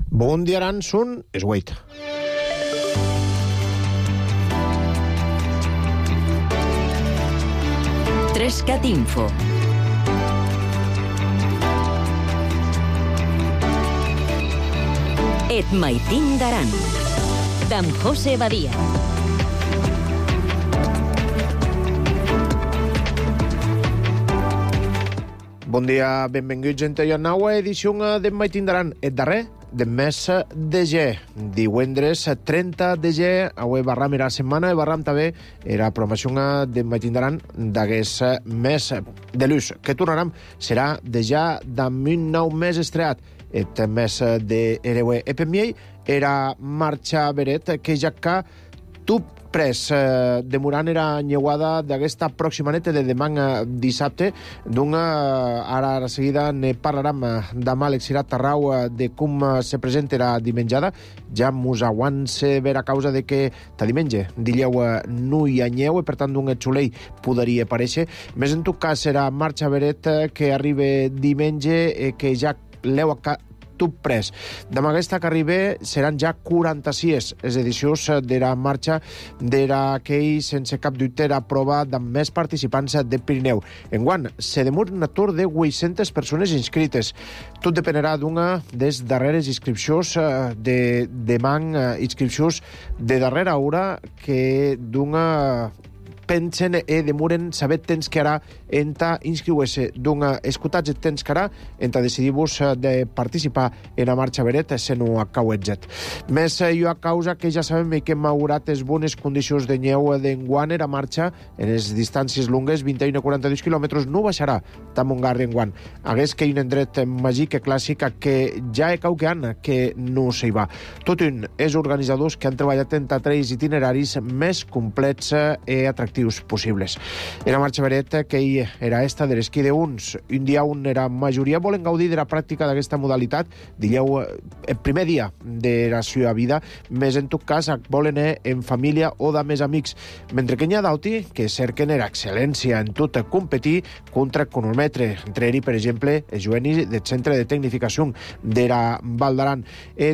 Bon dia, Aransun, és Wait. Trescat Info. Et maitin d'Aran, d'en José Badia. Bon dia, benvinguts a la nova edició d'en maitin d'Aran. Et darrer del mes de ge. Divendres 30 de ge, avui barram era setmana, i barram també era programació d'en maitin d'Aran d'aquest mes de luz, que tornarem serà de ja d'un nou mes estreat. Et mes de Erewe Epemiei era marxa beret que ja que tu pres demorant era nyeuada d'aquesta pròxima nit de demà dissabte, ara a seguida ne parlarem demà l'Exirat Tarrau de com se presentarà dimenjada. Ja mos aguant-se ver a causa de que ta diumenge dileu no hi ha nyeu i per tant d'un xulei podria aparèixer. Més en tot cas serà marxa beret que arriba diumenge que ja l'heu tu pres. Demà aquesta que arriba seran ja 46 les edicions de la marxa d'aquell sense cap dubte era prova amb més participants de Pirineu. Enguany, se demura un atur de 800 persones inscrites. Tot dependerà d'una des darreres inscripcions de demà, inscripcions de darrera hora que d'una pensen e demoren saber temps que ara enta inscriure-se d'un escutatge temps que ara enta decidir-vos de participar en la marxa beret se no acauetzet. Més jo a causa que ja sabem que hem augurat les bones condicions de nyeu d'enguany era marxa en les distàncies longues 21 a 42 quilòmetres no baixarà tan mongar d'enguany. Hagués que un endret màgic clàssic que ja he cauqueant que no s'hi va. Tot un és organitzadors que han treballat en tres itineraris més complets i atractius possibles. Era marxa beret que era esta de l'esquí d'uns. Un dia era majoria volen gaudir de la pràctica d'aquesta modalitat. Dileu el primer dia de la seva vida, més en tot cas volen en família o de més amics. Mentre que n'hi ha d'auti que cerquen era excel·lència en tot competir contra cronometre. Entre ell, per exemple, el juvenil del Centre de Tecnificació de la Val d'Aran.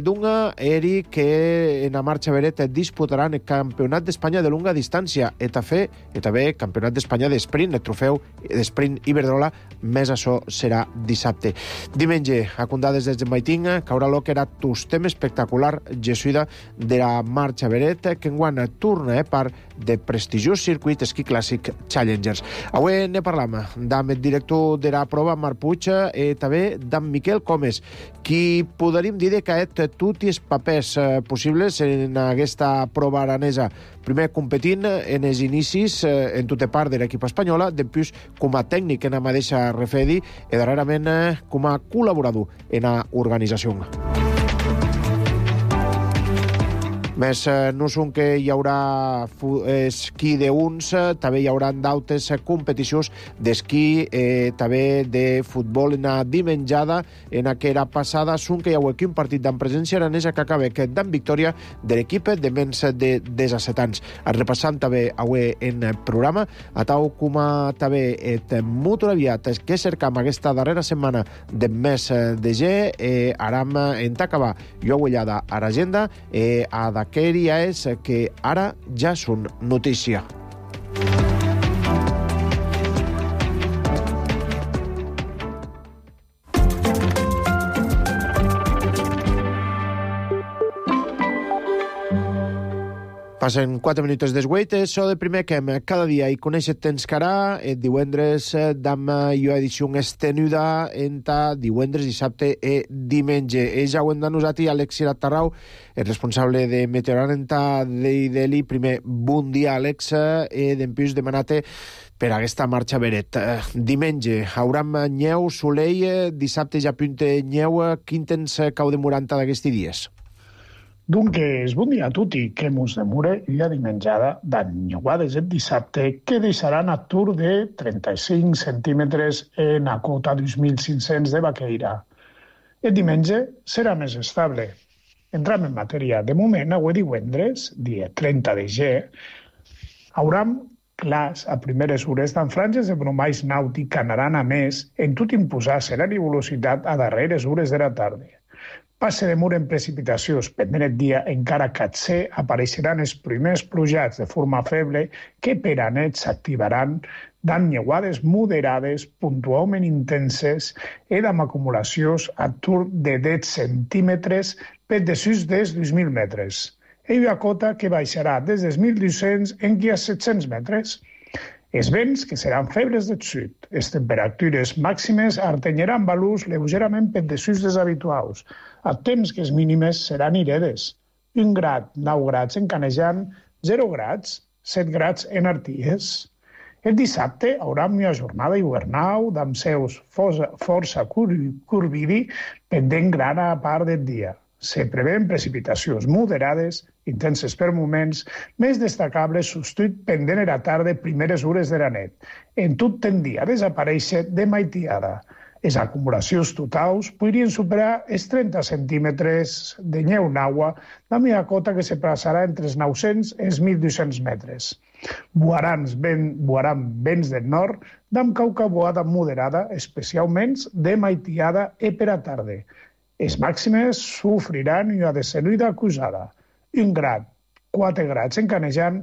D'una eri que en la marxa beret disputaran el Campionat d'Espanya de longa distància i també Campionat d'Espanya d'Esprint, el trofeu d'Esprint Iberdrola, més això serà dissabte. Diumenge, a condades des de Maiting, caurà lo que era tostem espectacular jesuïda de la marxa beret, que enguany torna per de prestigiós circuit esquí clàssic Challengers. Avui ne parlam amb el director de la prova, Marc Puig, i també d'en Miquel Comes, qui podríem dir que ha tots els papers possibles en aquesta prova aranesa. Primer competint en els inicis en tota part de l'equip espanyola, després com a tècnic en la mateixa Refedi i darrerament com a col·laborador en l'organització. Més no són que hi haurà esquí d'uns, també hi haurà d'altres competicions d'esquí, també de futbol en la dimenjada, en aquella passada són que hi ha aquí un partit d'en presència aranesa que acaba d'en victòria de l'equip de menys de 17 anys. Repassant també avui en el programa, a tal com també et molt aviat que cercam aquesta darrera setmana de mes de ge, aram en t'acabar jo agullada a l'agenda a d'aquell dia és que ara ja són notícia. Passen 4 minuts d'esgueit, això de primer que cada dia hi coneixet temps que ara, divendres d'am jo edició estenuda entre divendres, dissabte i diumenge. Ja ho hem denosat i Alexirat Tarrau, el responsable de Meteorant d'Ideli. Primer, bon dia, Àlex, d'empús demanat per aquesta marxa beret. Diumenge, hauram nyeu, solei, dissabte ja punte nyeu. Quin temps cau demorant d'aquests dies? Dunque, bon dia a tutti, que mos demure la dimenjada d'anyuades el dissabte que deixaran atur de 35 centímetres en la cota 2.500 de Baqueira. El diumenge serà més estable. Entram en matèria. De moment, avui divendres, dia 30 de ge, hauram clars a primeres hores d'en franges de brombais nàutic anaran a més en tot imposar serà i velocitat a darreres hores de la tarda. Passe de mur en precipitacions. Pendent el dia encara catser, apareixeran els primers plujats de forma feble que per a nit s'activaran dant neuades moderades, puntualment intenses i amb acumulacions a tour de 10 centímetres per desús dels 2.000 metres. Ella cota que baixarà des dels 1.200 en qui a 700 metres. Els vents, que seran febles del sud. Les temperatures màximes artenyaran valors lleugerament per desús dels habituals, a temps que les mínimes seran iredes. 1 grad, 9 grads en Canejan, 0 grads, 7 grads en Arties. El dissabte haurà una jornada hivernal amb seus força curvidi pendent gran a part del dia. Se prevén precipitacions moderades, intenses per moments, més destacables substitut pendent a la tarda primeres hores de la nit. En tot tendia a desaparèixer de maitiada. Les acumulacions totals podrien superar els 30 centímetres de neu d'aigua, la meva cota que se passarà entre els 900 i els 1.200 metres. Buaran vents del nord, d'amb cauca boada moderada, especialment de maitiada i per a tarda. Les màximes sofriran una descendida acusada. 1 grad, 4 grads en Canejan,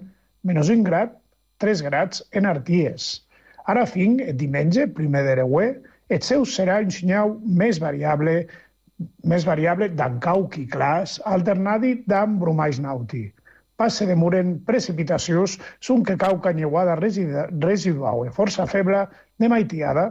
menys 1 grad, 3 grads en Arties. Ara fin, el diumenge, primer de Reuer, el seu serà un senyal més variable d'encauc i clars, alternat d'amb bromais nauti. Passe de mur en precipitacions, són que cauca neuada residual i força feble de maitiada,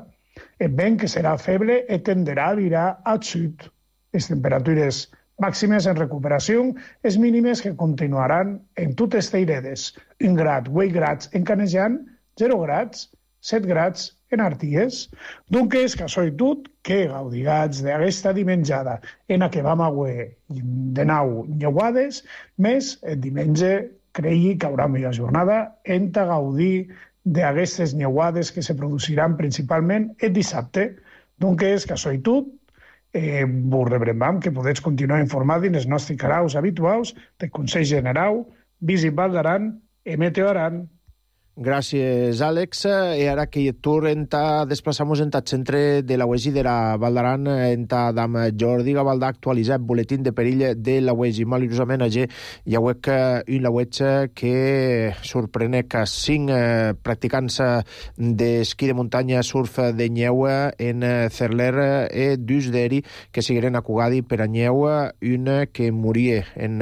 el vent que serà feble i tenderà a virar al sud. Les temperatures màximes en recuperació, les mínimes que continuaran en totes teiredes. 1 grad, 8 grads en Canejan, 0 grads, 7 grads en Arties. Doncs, que això i tot, que gaudigats d'aquesta dimenjada en la que vam haver de nou neuades, més el diumenge cregui que haurà una jornada en gaudir d'aquestes neuades que se produciran principalment el dissabte. Doncs, que això i tot, vos rebrem que podeu continuar informant en els nostres canals habituals de Consell General, Visit Val d'Aran i Meteo Aran. Gràcies, Àlex. I ara que tour desplaçamos en el centre de la UESI de la Val d'Aran, amb Jordi Gavaldà, actualitzat boletín de perill de la UESI. Malurosament, hi ha un lauet que sorprenec a 5 practicants d'esquí de muntanya, surf de neu en Cerler i dus d'eri que sigueren acugadi per a neu, un que moria en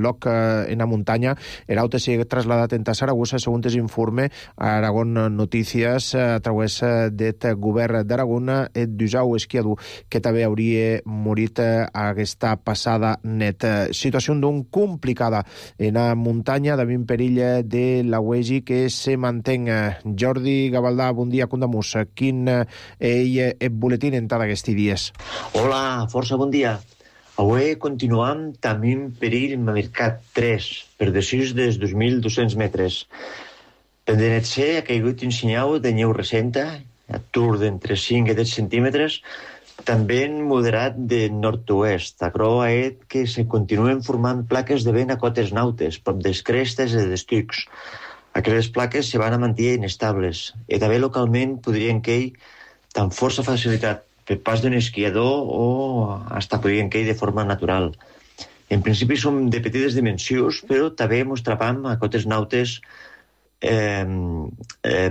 loc en la muntanya, l'altre s'ha trasladat en Saragossa, segons es informa a Aragón Notícies a través del govern d'Aragón et d'usau esquiador que també hauria morit aquesta passada net. Situació doncs complicada en la muntanya, d'un perill de la UESI que se mantén. Jordi Gavaldà, bon dia, condamus. Quin el boletín en tots aquests dies? Hola, força bon dia. Avui continuam també en perill en Mercat 3, per desús dels 2.200 metres. Pendent ha caigut un senyal de neu recenta, a tour d'entre 5 i 10 centímetres, també moderat de nord-oest. Acro que se continuen formant plaques de vent a cotes nautes, prop des crestes i dels tucs. Aquestes plaques se van a mantenir inestables i també localment podrien cair amb força facilitat per pas d'un esquiador o hasta podrien cair de forma natural. En principi som de petites dimensions, però també mos trapam a cotes nautes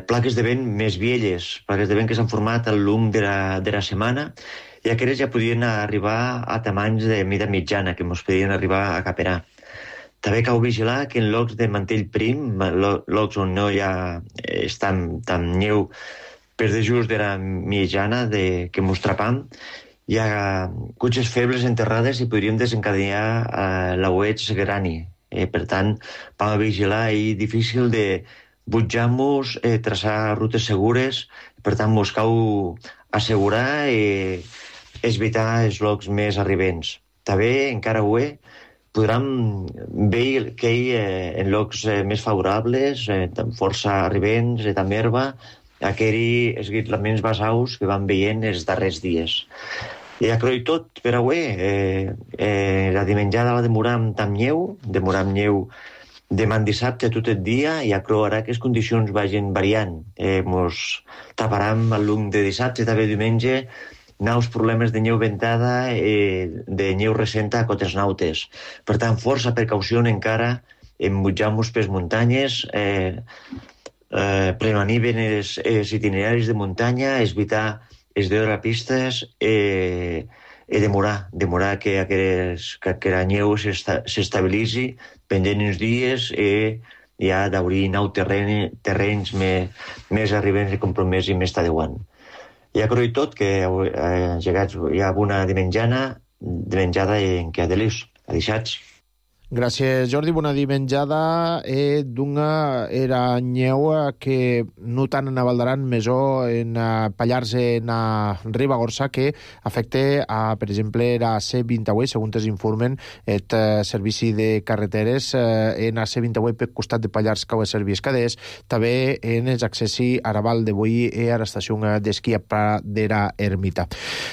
plaques de vent més velles, plaques de vent que s'han format al llarg de la setmana i aquestes ja podien arribar a tamanys de mida mitjana, que ens podien arribar a caperar. També cal vigilar que en llocs de mantell prim, llocs on no hi ha tan neu per de just de la mitjana que ens trapam, hi ha cotxes febles enterrades i podríem desencadenar l'aueig grani. Per tant, vam a vigilar i difícil de butjar-nos, traçar rutes segures, per tant, mos cal assegurar i evitar els llocs més arribents. També, encara avui, podran veure que en llocs més favorables, amb força arribents, amb herba, aquells esguitlaments basaus que van veient els darrers dies. I a croi tot per avui. La dimenjada la demorar amb neu, demà dissabte tot el dia, i a croi ara que les condicions vagin variant. Mos taparam al llarg de dissabte, també diumenge, naus problemes de neu ventada, de neu recenta a cotes nautes. Per tant, força precaució encara en mutjar-nos per muntanyes, prevenir ben els itineraris de muntanya, evitar els d'hora pistes, demorar que la neu s'estabilitzi pendent uns dies ja d'obrir nou terrenys més arribents i compromès i més tadeuant. Ja creu tot que hi ha una dimenjada en què adelius, adixats. Gràcies, Jordi. Bona dimenjada. D'una era nyeu que no tant en Valdaran, mesó en Pallars, en Ribagorça, que afecta, per exemple, la C28, segons es informen, el servici de carreteres en la C28 per costat de Pallars, que ho és servicis caders, també en els accessi a Raval de Boí i a l'estació d'esquí a Pradera Ermita.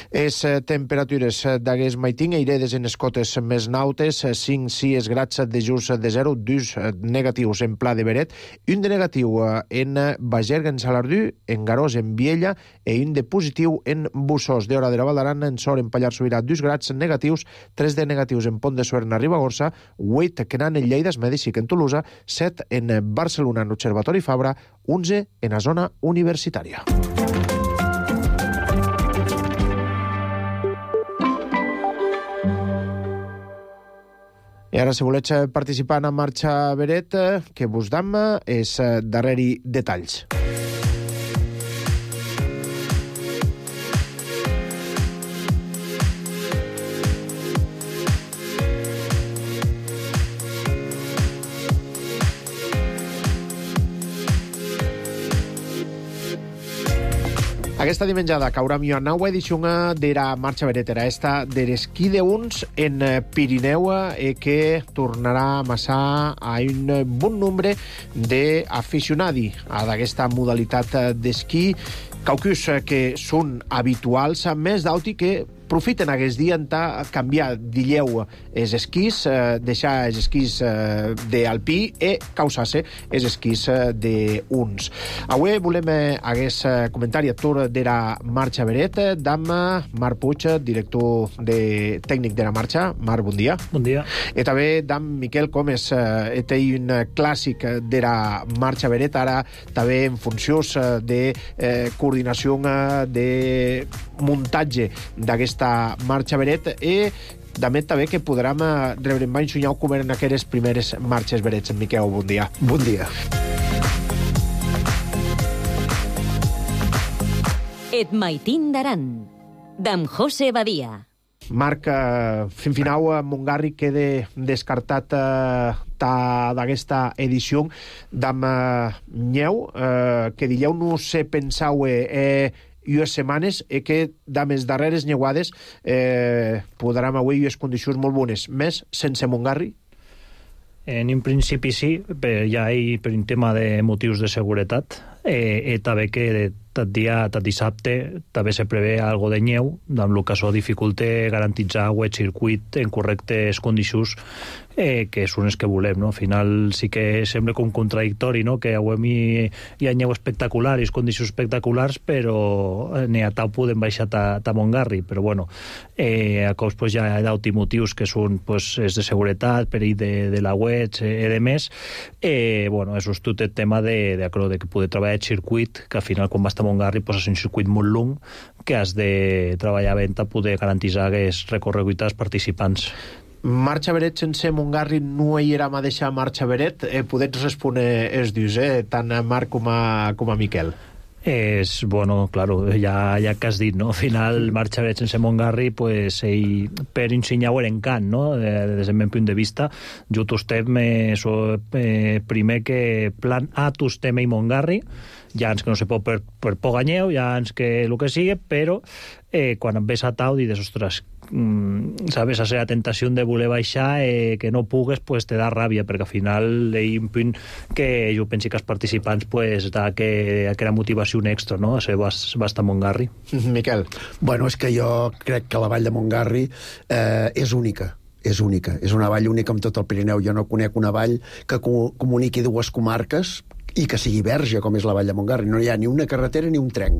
Les temperatures d'aquest maitín eiredes en les cotes més nautes, 5-6 grads de just de 0, 2 negatius en Pla de Beret, un de negatiu en Bagerga, en Salardú, en Garós, en Viella, i un de positiu en Bussós. D'hora de la Valdaran, en Sor, en Pallars Sobirà, 2 grads negatius, 3 de negatius en Pont de Suert, a Ribagorça, 8 que n'han en Lleida, es Mèdici, en Tolosa, 7 en Barcelona, en Observatori Fabra, 11 en la zona universitària. I ara, si voleu participar en la marxa Beret, que vos dam és darrere detalls. Aquesta dimenjada caurà a nova edició de la marxa Beretera, esta de l'esquí de uns en Pirineu, que tornarà a amassar a un bon nombre d'aficionats a d'aquesta modalitat d'esquí, caucus que són habituals, més d'auti que profiten aquest dia en canviar d'illeu els esquís, deixar els esquís d'alpí i causar-se els esquís d'uns. Avui volem aquest comentari a tur de la marxa Beret d'am Marc Puig, director tècnic de la marxa. Marc, bon dia. Bon dia. I també d'am Miquel Comes, té un clàssic de la marxa Beret, ara també en funcions de coordinació de muntatge d'aquesta marxa Beret, i també que podrem rebre en ensenyar com eren aquelles primeres marxes Berets. Miquel, bon dia. Bon dia. Et maitín d'Aran, d'en José Badia. Marc, fin final, Montgarri queda descartat d'aquesta edició d'am Nyeu, que dieu no se pensau i les setmanes que d'amés darreres nyeuades podrem avui les condicions molt bones, més sense Montgarri? En un principi sí, ja per un tema de motius de seguretat, i també que tot dissabte també se prevé algo de neu, amb el que això dificulta garantitzar el circuit en correctes condicions, que són les que volem, no? Al final sí que sembla com contradictori, no? Que avui hi ha neu espectacular i condicions espectaculars, però n'hi ha tal podem baixar a Montgarri, però bueno, a cops pues, ja hi ha d'altres motius que són pues, és de seguretat, perill de la web i de més, bueno, això és tot el tema de que poder treballar el circuit, que al final quan vas a Montgarri pues, és un circuit molt long que has de treballar bé per poder garantitzar aquests recorreguts als participants. Marxa Beret sense Montgarri no hi era mateixa marxa Beret? Podets respondre els dius, tant a Marc com a Miquel. Bueno, claro, ja que has dit, no? Al final, marxa Beret sense Montgarri, pues, per ensenyar en cant, no? Des del meu punt de vista, jo tostem primer que plan A tostem i Montgarri, ja ens que no se pot per Poganyeu, ja ens que el que sigui, però quan em ves a tau dius, ostres, sabes, la tentació de voler baixar, que no pugues, pues te da ràbia, perquè al final hi ha un punt que jo penso que els participants pues, da que era motivació extra, no? A ser vas a Montgarri. Miquel. Bueno, és que jo crec que la vall de Montgarri és única. És única. És una vall única amb tot el Pirineu. Jo no conec una vall que comuniqui dues comarques i que sigui verge, com és la vall de Montgarri. No hi ha ni una carretera ni un tren.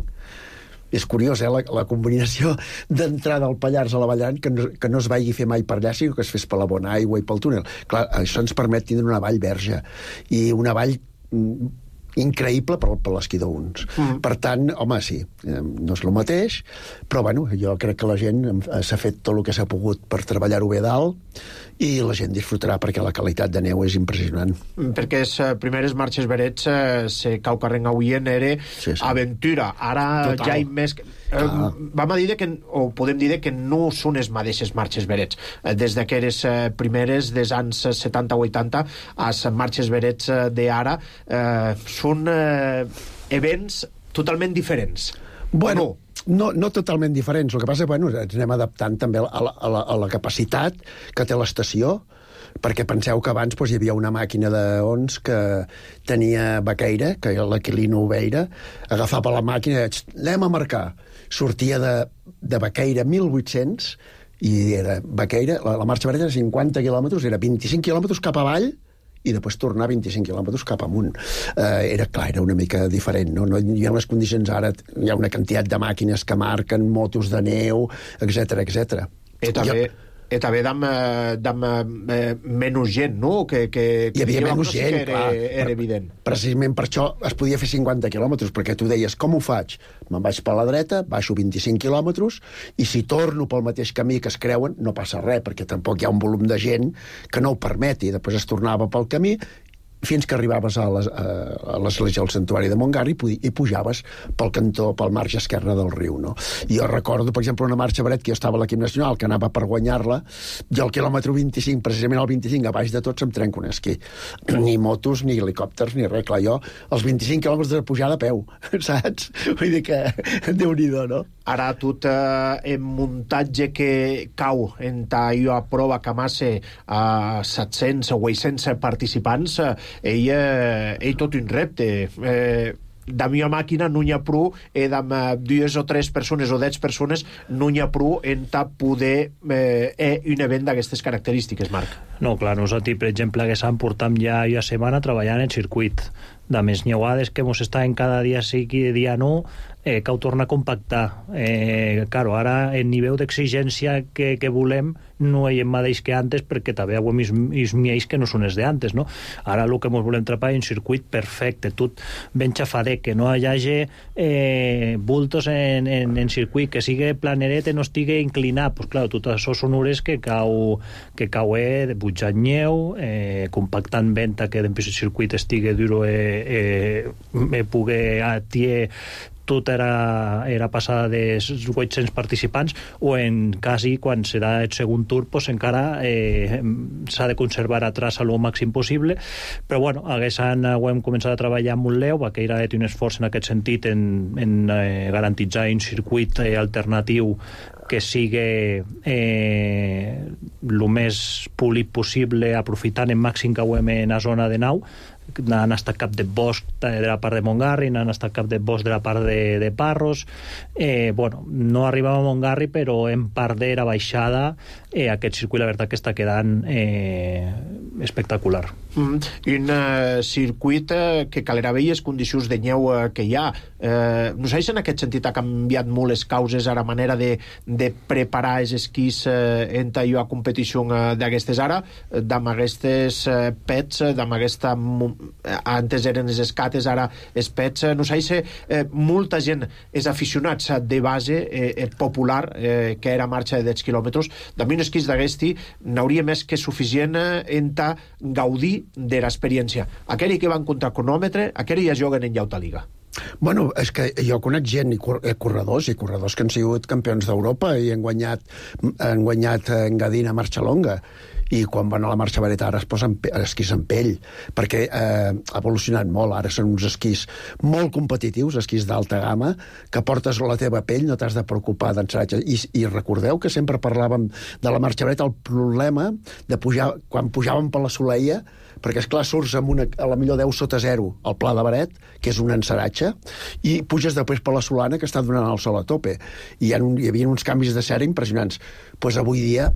És curiós, la combinació d'entrada al Pallars a la Vall d'Aran, que no es vagi fer mai per allà, sinó que es fes per la bona aigua i pel túnel. Clar, això ens permet tindre una vall verge, i una vall increïble per l'esquí d'uns. Per tant, home, sí, no és el mateix, però bueno, jo crec que la gent s'ha fet tot el que s'ha pogut per treballar-ho bé dalt, i la gent disfrutarà perquè la qualitat de neu és impressionant. Perquè les primeres marxes verets se cau carreng avuen era aventura. Ara total. ja hi més... vam a dir que, o podem dir que no són les mateixes marxes verets. Des d'aquelles primeres, des anys 70-80, les marxes verets d'ara són events totalment diferents. Bueno, no totalment diferents. El que passa és que ens anem adaptant també a la capacitat que té l'estació, perquè penseu que abans hi havia una màquina d'ons que tenia Baqueira, que l'Aquilino Oveira, agafava la màquina, anem a marcar. Sortia de Baqueira 1800, i era Baqueira, la marxa verda era 50 quilòmetres, era 25 quilòmetres cap avall, i després tornar 25 quilòmetres cap amunt. Era una mica diferent, no? No hi ha les condicions ara, hi ha una quantitat de màquines que marquen, motos de neu, etc. I també amb menys gent, no? Hi havia menys gent, clar. Era evident. Precisament per això es podia fer 50 quilòmetres, perquè tu deies, com ho faig? Me'n vaig per la dreta, baixo 25 quilòmetres, i si torno pel mateix camí que es creuen, no passa res, perquè tampoc hi ha un volum de gent que no ho permeti. Després es tornava pel camí, fins que arribaves a l'església del Santuari de Montgarri i pujaves pel cantó, pel marge esquerre del riu, no? I jo recordo, per exemple, una marxa veret que jo estava a l'equip nacional, que anava per guanyar-la, i al quilòmetre 25, precisament al 25, a baix de tot se'm trenca un esquí. Ni motos, ni helicòpters, ni res. Clar, jo, els 25 quilòmetres de pujada a peu, saps? Vull dir que, Déu-n'hi-do, no? Ara tot en muntatge que cau en allò a prova que massa a 700 o 800 participants, ell tot un repte. Da mia màquina no n'hi ha prou, amb 2 o 3 persones o 10 persones no n'hi ha prou en poder un event d'aquestes característiques, Marc. No, clar, nosaltres, per exemple, que s'han portat ja una setmana treballant en circuit de més nyeuades que mos estan cada dia sí i dia no, cal tornar a compactar. Claro, ara el nivell d'exigència que volem no hi ha mateix que antes, perquè també hi ha els miells que no són els d'antes, no? Ara el que ens volem trapar és un circuit perfecte, tot ben xafadet, que no hi hagi bultos en circuit, que sigui planeret i no estigui inclinat. Pues clar, tot això són hores que cau de pujar nyeu, compactant venta que el circuit estigui duro poder atier tot era passada de 800 participants, o en quasi quan serà el segon tour pues encara s'ha de conservar atrás a lo màxim possible, però bueno, ho hem començat a treballar amb un Leo, que era un esforç en aquest sentit en garantitzar un circuit alternatiu que sigui el més polit possible, aprofitant el màxim que hem en la zona de nau. Han estat cap de bosc de la part de Montgarri, han estat cap de bosc de la part de Parros. Bueno, no arribava a Montgarri, però en part de la baixada aquest circuit, la veritat, que està quedant espectacular. Un circuit que calerà bé les condicions de neu que hi ha. No sé si en aquest sentit ha canviat molt les causes a la manera de preparar els esquís en a competició d'aquestes ara, amb aquestes pets, amb aquesta... Antes eren les escates, ara els pets. No sé si molta gent és aficionats de base popular, que era marxa de 10 quilòmetres. També un esquís d'aquesti n'hauria més que suficient en gaudir de l'experiència. Aquells que van contra cronòmetre, aquells ja juguen en llauta liga. Bueno, és que jo conec gent i corredors que han sigut campions d'Europa i han guanyat Engadina marxa longa, i quan van a la marxa vareta ara es posen esquís en pell, perquè ha evolucionat molt. Ara són uns esquís molt competitius, esquís d'alta gamma, que portes la teva pell, no t'has de preocupar d'ensaratge. I recordeu que sempre parlàvem de la marxa vareta, el problema de pujar, quan pujàvem per la Soleia, perquè esclar surts amb a la millor 10 sota 0 al Pla de Baret, que és un ensaratge, i puges després per la Solana, que està donant el sol a tope, i hi havia uns canvis de cera impressionants. Pues avui dia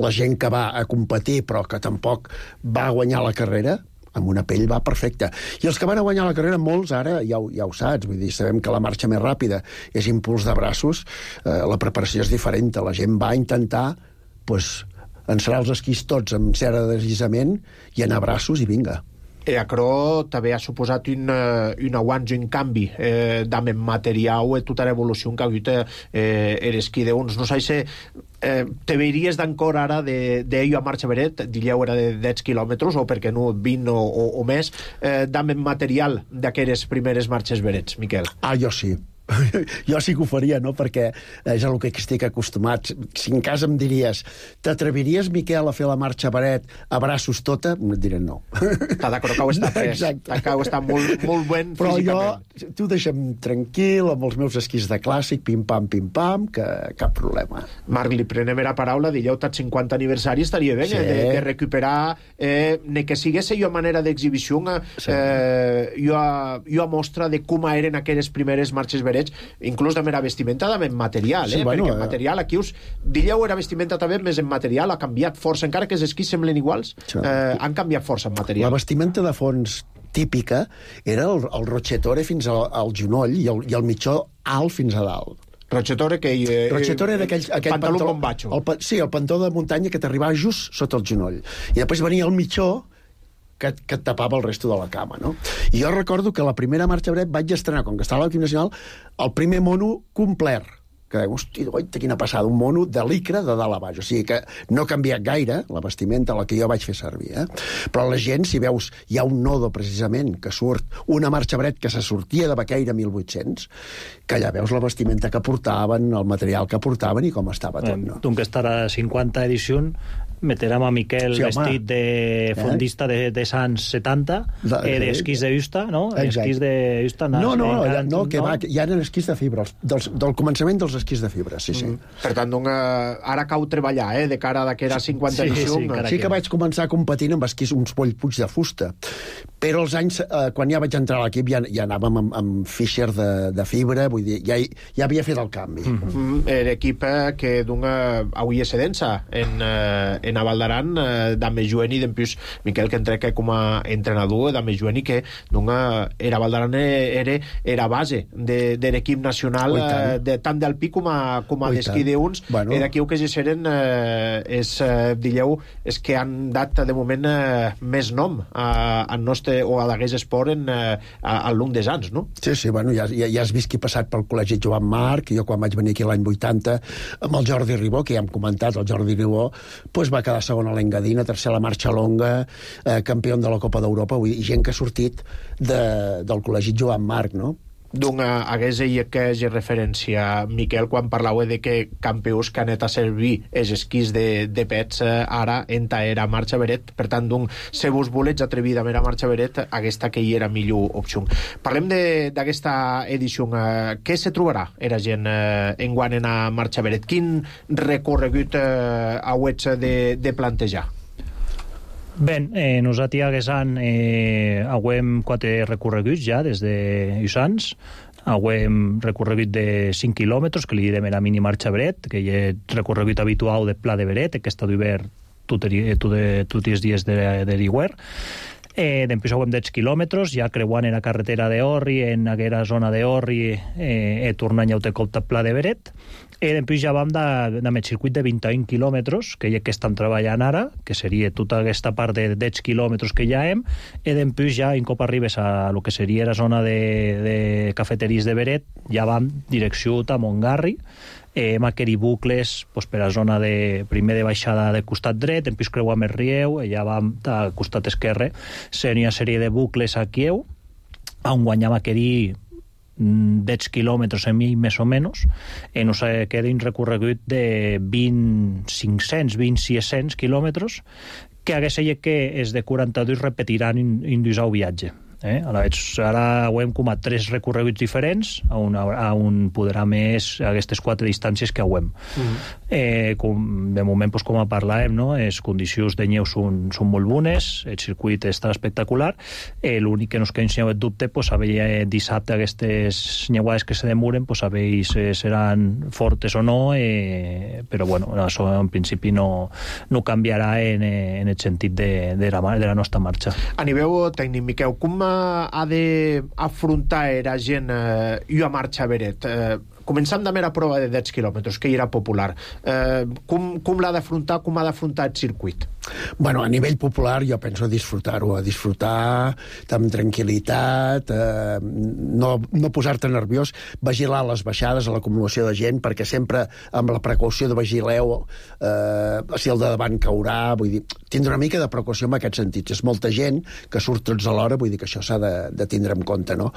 la gent que va a competir però que tampoc va guanyar la carrera, amb una pell va perfecta. I els que van a guanyar la carrera, molts ara ja ho saps, vull dir, sabem que la marxa més ràpida és impuls de braços, la preparació és diferent, la gent va intentar encerar els esquís tots amb cera de deslliçament i anar a braços i vinga. Aquerò també ha suposat un avanç, un canvi d'amb materiau e tota l'evolució que ha hagut l'esquí d'uns. No sé si te veiries d'ancor ara d'ello a marxa beret, diríeu era de 10 quilòmetres o perquè no 20 o més, d'amb material d'aquelles primeres marxes berets, Miquel? Jo sí. Jo sí que ho faria, no? Perquè és el que estic acostumat. Si en cas em diries, t'atreviries, Miquel, a fer la marxa Beret a braços tota? Et diré no. Està d'acord, que ho està pres. Que ho està molt ben però físicament. Però tu deixa'm tranquil, amb els meus esquís de clàssic, pim-pam, que cap problema. Marc, li prenem la paraula, dilleu tot 50 aniversari, estaria bé, sí, de recuperar, ne que sigués jo manera d'exhibició, jo a mostra de com eren aquelles primeres marxes Beret, inclús de mera vestimenta de material, sí, bueno, perquè en material aquí diríeu era vestimenta també més en material, ha canviat força, encara que els esquís semblen iguals, han canviat força en material. La vestimenta de fons típica era el rochetore fins al genoll i el mitjó alt fins a dalt. Rochetore era aquell pantaló bombacho. Sí, el pantó de muntanya que t'arribava just sota el genoll. I després venia el mitjó que et tapava el resto de la cama, no? I jo recordo que la primera marxa Beret vaig estrenar, com que estava a l'equip nacional, el primer mono complet, que hosti, quina passada, un mono de licra de dalt a baix, o sigui que no ha canviat gaire la vestimenta, la que jo vaig fer servir, però la gent, si veus, hi ha un nodo precisament que surt, una marxa Bret que se sortia de Baqueira 1800, que allà veus la vestimenta que portaven, el material que portaven i com estava tot, no? Tu que estarà a 50 edició, meterem a Miquel vestit de fondista de Sants 70, d'esquís de Justa, no? Esquís de Justa. No, hi ha esquís de fibra, del començament dels esquís de fibra, sí. Per tant, ara cau treballar, de cara a que era 50 edició. Sí que vaig començar competint amb esquís, uns puig de fusta, però els anys, quan ja vaig entrar a l'equip, ja anàvem amb Fischer de fibra, vull dir, ja havia fet el canvi. L'equip que avui és sedença en Naval d'Aran, d'Amme Jueni, d'empús Miquel, que entreca com a entrenador d'Amme Jueni, que era Val d'Aran era base de l'equip nacional, tant d'alpí com a d'esquí d'uns, i d'aquí que seren és que han dat de moment més nom al nostre, o a l'Agués Esport al long des anys, no? Sí, bueno, ja has vist qui ha passat pel col·legi Joan Marc, jo quan vaig venir aquí l'any 80 amb el Jordi Ribó, que ja hem comentat, el Jordi Ribó va quedar segon a l'Engadina, tercer a la marxa longa, campió de la Copa d'Europa, gent que ha sortit del col·legi Joan Marc, no? Hagués que és referència, Miquel, quan parlau de que campions que han anat a servir els esquís de pets ara enta era marxa Beret, per tant, se vos volets atrevir a marxa Beret, aquesta que hi era millor opció. Parlem d'aquesta edició. Què se trobarà era gent enguant en a marxa Beret? Quin recorregut hauets de plantejar? Bé, nosaltres a Guesan hauem 4 recorreguts ja des de Usans. Hauem recorregut de 5 quilòmetres, que li direm la mini marxa Beret, que hi ha recorregut habitual de Pla de Beret, que està d'hivern tots els dies de l'hivern. Després hauem 10 quilòmetres, ja creuant en la carretera d'Orri, en aquella zona d'Orri, tornant a cop Pla de Beret. Després ja vam amb el circuit de 21 quilòmetres, que estan treballant ara, que seria tota aquesta part de 10 quilòmetres que ja hem, i després ja, un cop arribes a lo que seria la zona de cafeteries de Beret, ja vam direcció a Montgarri, hem adquirit bucles per a zona primer de baixada de costat dret, després creuam el rieu, i ja vam a costat esquerre, seria una sèrie de bucles a Kieu, on guanyam adquirir 10 quilòmetres en mi, més o menys, no sé, queda un recorregut de 500, 600 quilòmetres, que hagués que és de 42 repetiran un viatge. Ara ho hem com a 3 recorreguts diferents on podrà més aquestes 4 distàncies que ho hem. De moment, com a parlàvem, les condicions de neu són molt bones, el circuit està espectacular, l'únic que nos queda el dubte a veure dissabte aquestes neuades que se demoren, a veure si seran fortes o no, però bueno, això en principi no canviarà en el sentit de la nostra marxa. A nivell tècnic, Miquel, com ha d'afrontar la gent i a marxa Beret? Començant amb la prova de 10 quilòmetres, que hi era popular. Com l'ha d'afrontar, com ha d'afrontar el circuit? Bueno, a nivell popular jo penso disfrutar-ho, disfrutar amb tranquil·litat, no posar-te nerviós, vigilar les baixades, l'acumulació de gent, perquè sempre amb la precaució de vigileu si el de davant caurà, vull dir, tindre una mica de precaució en aquest sentit. És molta gent que surt tots alhora, vull dir que això s'ha de tindre en compte, no?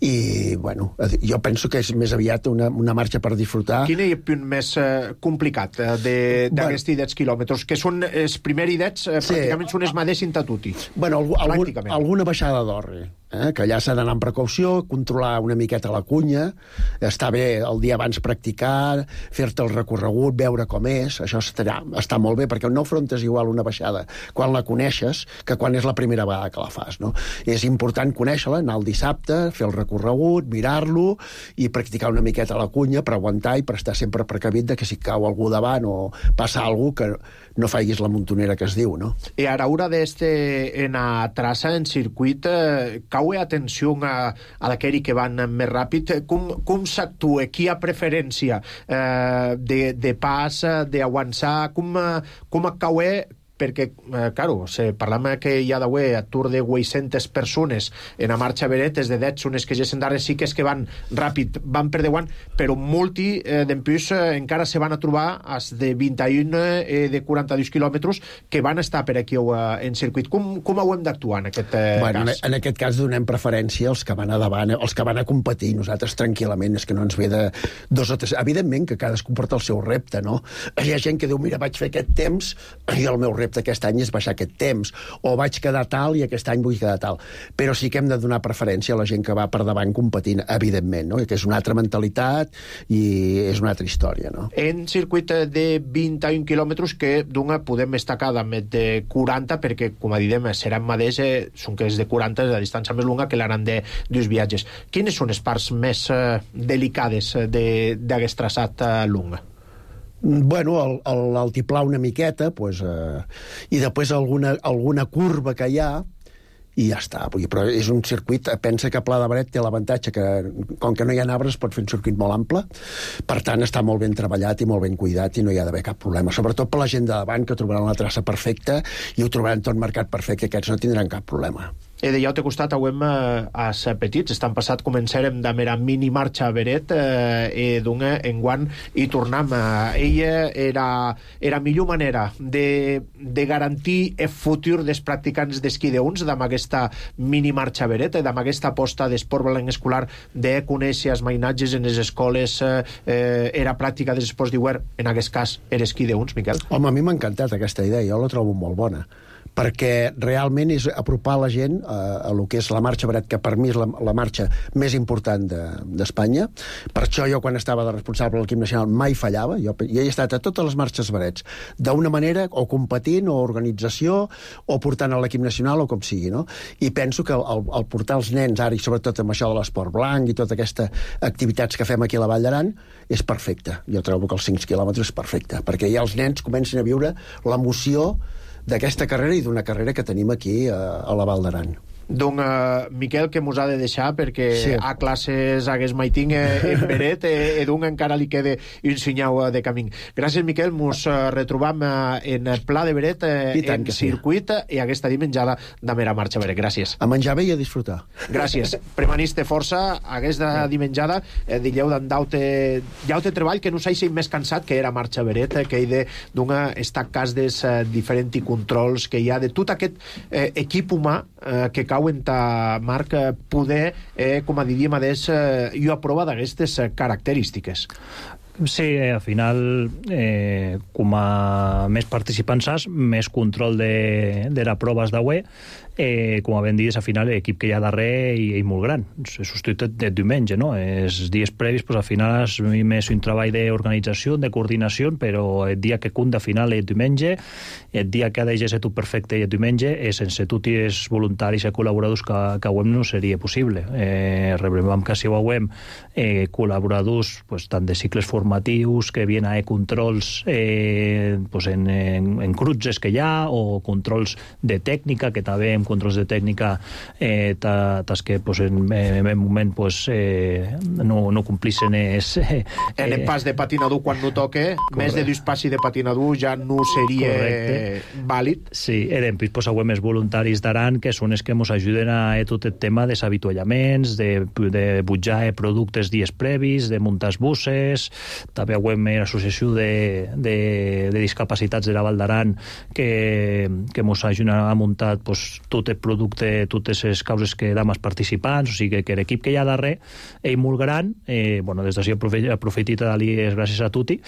I, bueno, jo penso que és més aviat una marxa per disfrutar. Quin és el punt més complicat d'aquests 10 quilòmetres? Que són els primers idets, pràcticament són els mateixos a tutti. Bueno, alguna baixada d'orri, que allà s'ha d'anar amb precaució, controlar una miqueta la cunya, està bé el dia abans practicar, fer-te el recorregut, veure com és, això està molt bé, perquè no afrontes igual una baixada quan la coneixes que quan és la primera vegada que la fas, no? És important conèixer-la, anar el dissabte, fer el recorregut, mirar-lo i practicar una miqueta la cunya per aguantar i per estar sempre precavit de que si cau algú davant o passa alguna cosa que no faiguis la montonera que es diu, no? I ara haurà en la traça, en circuit, cau atenció a d'aquells que van més ràpid. Com s'actua? Qui ha preferència de pas, d'avançar? Com cau? Perquè, claro, parlam que hi ha d'haver a tour de 800 persones en la marxa Beret, des de 10 són les que gessen darrere, sí que és que van ràpid, van per davant, però molti d'empús encara se van a trobar als de 21 de 42 quilòmetres que van estar per aquí en circuit. Com ho hem d'actuar en aquest cas? En aquest cas donem preferència als que van a davant, als que van a competir, nosaltres tranquil·lament, és que no ens ve de 2 o 3... Evidentment que cadascú porta el seu repte, no? Hi ha gent que diu, mira, vaig fer aquest temps i el meu repte aquest any és baixar aquest temps, o vaig quedar tal i aquest any vull quedar tal. Però sí que hem de donar preferència a la gent que va per davant competint, evidentment, no? Que és una altra mentalitat i és una altra història, no? En circuit de 21 quilòmetres que d'una podem destacar més de 40, perquè, com a didem, seran mateix, són que és de 40, és la distància més longa que l'aran dels viatges. Quines són les parts més delicades d'aquest traçat long? Bueno, l'altiplà una miqueta, pues, i després alguna curva que hi ha, i ja està. Però és un circuit, pensa que Pla de Beret té l'avantatge que, com que no hi ha arbres, pot fer un circuit molt ample, per tant està molt ben treballat i molt ben cuidat i no hi ha d'haver cap problema, sobretot per la gent de davant, que trobaran la traça perfecta i ho trobaran tot marcat perfecte, aquests no tindran cap problema. De ja t'he costat, avui als petits, estan passat, començarem de mera mini marxa a Beret, d'una enguant i tornem. Ella era millor manera de garantir el futur dels practicants d'esquí d'uns, amb aquesta mini marxa a Beret, amb aquesta aposta d'esport blanc escolar, de conèixer els mainatges en les escoles, era pràctica dels esports d'hivern, en aquest cas era esquí d'uns, Miquel? Home, a mi m'ha encantat aquesta idea, jo la trobo molt bona, perquè realment és apropar la gent a lo que és la marxa Beret, que per mi és la marxa més important d'Espanya. Per això jo, quan estava de responsable de l'equip nacional, mai fallava. Jo he estat a totes les marxes Berets, d'una manera, o competint, o organització, o portant a l'equip nacional, o com sigui, no? I penso que el portar els nens, ara, i sobretot amb això de l'esport blanc i totes aquestes activitats que fem aquí a la Vall d'Aran, és perfecte. Jo trobo que els 5 quilòmetres és perfecte, perquè ja els nens comencen a viure l'emoció d'aquesta carrera i d'una carrera que tenim aquí a la Val d'Aran. Donc, Miquel, que mos ha de deixar perquè a classes hagués maiting en Beret donc encara li queda un senyau de camí. Gràcies, Miquel, mos retrobam en Pla de Beret en circuit i aquesta dimenjada de mera marxa Beret. Gràcies. A menjar bé i a disfrutar. Gràcies. Premaniste força aquesta dimenjada, dilleu d'aute treball que no s'hagi més cansat que era marxa Beret, que hi de d'una estar cas des diferents controls que hi ha de tot aquest equip humà que cau en ta marca poder, com a diríem adés, jo aprova d'aquestes característiques. Sí, al final, com a més participants has, més control de les proves d'avui, com ben dit, al final l'equip que hi ha darrere és molt gran, és substitut de diumenge, no? Els dies previs, pues, al final és més un treball d'organització, de coordinació, però el dia que compta al final és diumenge, el dia que ha de ser tot perfecte i el diumenge, sense tots els voluntaris i col·laboradors que avui no seria possible. Rebem que si avui col·laboradors pues, tant de cicles formatius que vienen a controls pues en cruces que hi ha o controls de tècnica, que també en controls de tècnica que pues, en moment pues, no complissen en el pas de patinador quan no toque, més de 2 passi de patinador ja no seria vàlid. Sí, després pues, avui més voluntaris d'Aran que són els que ens ajuden a tot el tema dels avituallaments, de butjar productes dies previs, de muntar buses. També avui l'associació de discapacitats de la Val d'Aran que ens ajuden a muntar pues, tot el producte, totes les causes que dam als participants, o sigui que l'equip que hi ha darrere és molt gran. Bueno, des d'ací aprofitit a dir gràcies a tutti.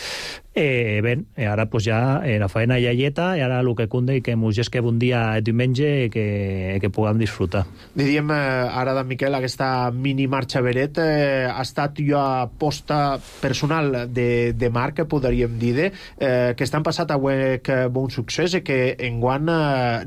Ara pues, ja la feina ja lleta i ara el que conde i que ens gesquem un dia diumenge que puguem disfrutar. Diríem ara d'en Miquel, aquesta mini marxa Beret ha estat jo aposta personal de Marc, podríem dir, que estan passat avui que bon succés i que enguany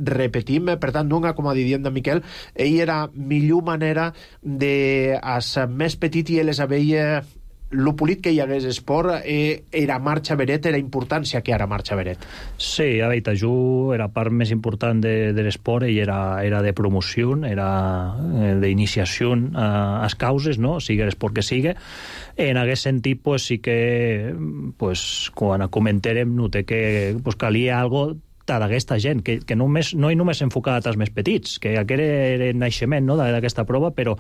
repetim, per tant, donga, com a diríem d'en Miquel, ell era millor manera de als més petit i les veia lo polit que hi hagués esport, era marxa Beret, era importància que era marxa Beret. Sí, a veure, jo era part més important de l'esport i era de promoció, era d'iniciació a les causes, no? Sigui l'esport que sigui. En aquest sentit, pues, sí que pues, quan comentarem noté que pues, calia algo d'aquesta gent, que no només enfocat als més petits, que aquest era el naixement, no?, d'aquesta prova, però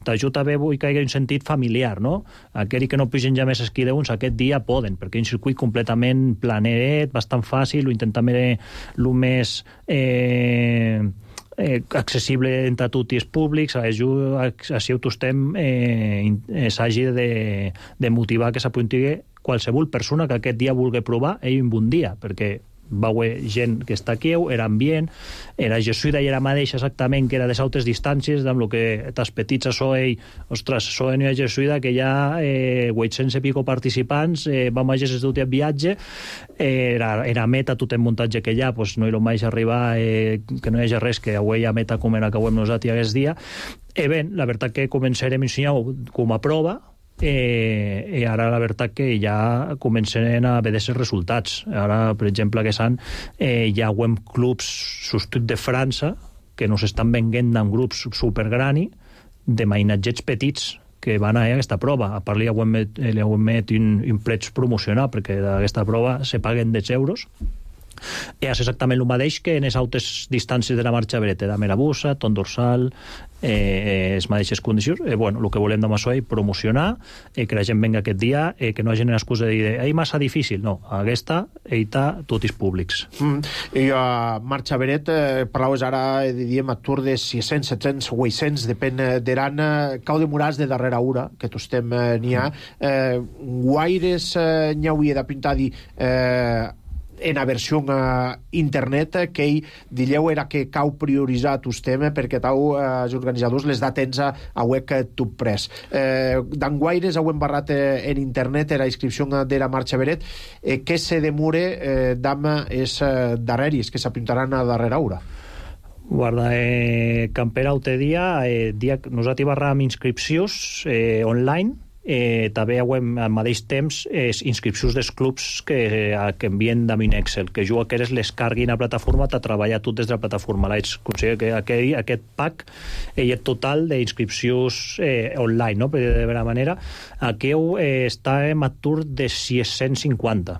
t'ajuda també vull que hi hagi un sentit familiar, no? Aquells que no pugen ja més esquí d'uns, aquest dia poden, perquè és un circuit completament planeret, bastant fàcil, ho intentem el més accessible entre tots els públics, així ho estem s'hagi de motivar que s'apunti qualsevol persona que aquest dia vulgui provar ell un bon dia, perquè va haver gent que està aquí, era ambient, era Jesuïda i era mateixa exactament, que era de sautes distàncies, amb el que tas petits a Soei, ostres, Soei no hi ha Jesuïda, que hi ha 800 i pico participants, vam a Jesús tot el viatge, era meta tot el muntatge que hi ha, pues no hi vaig arribar, que no hi hagi res, que avui hi ha meta com era que avui nosaltres aquest dia. Ben, la veritat que començarem a ensenyar com a prova, i ara la veritat que ja comencen a veure els resultats. Ara, per exemple, que hi ha clubs substituts de França que nos estan venent en grups supergrani de mainatgets petits que van a aquesta prova. A part, li heu met un preig promocional, perquè d'aquesta prova se paguen 10 euros. És exactament el mateix que en les altres distàncies de la marxa Beret, de Merabussa, Ton Dorsal, les mateixes condicions. Bueno, el que volem de Massoy, promocionar, que la gent venga aquest dia, que no hagi l'excusa de dir és massa difícil. No, aquesta està tots els públics. I a marxa Beret, parlaves ara, diríem, a tour de 600, 700, 800, depèn d'Aran, cau de murals de darrera hora, que tostem n'hi ha. Guaires n'hi hauria de pintar dir en la versió internet, que ell dilleu era que cau prioritzar tos tema perquè tau els organitzadors les da temps a web que tu pres. D'enguaires heu embarrat en internet la inscripció de la marxa Beret, que se demore d'ama és darreris, que s'apuntaran a darrera hora. Guarda, Campera o dia nosaltres barram inscripcions online, també al mateix temps inscripcions dels clubs que envien d'Amin Excel, que jo aquestes les carguin a la plataforma a treballar tot des de la plataforma. Considero que aquest pack és total d'inscripcions online, no? Per de alguna manera. Aquí està en atur de 650,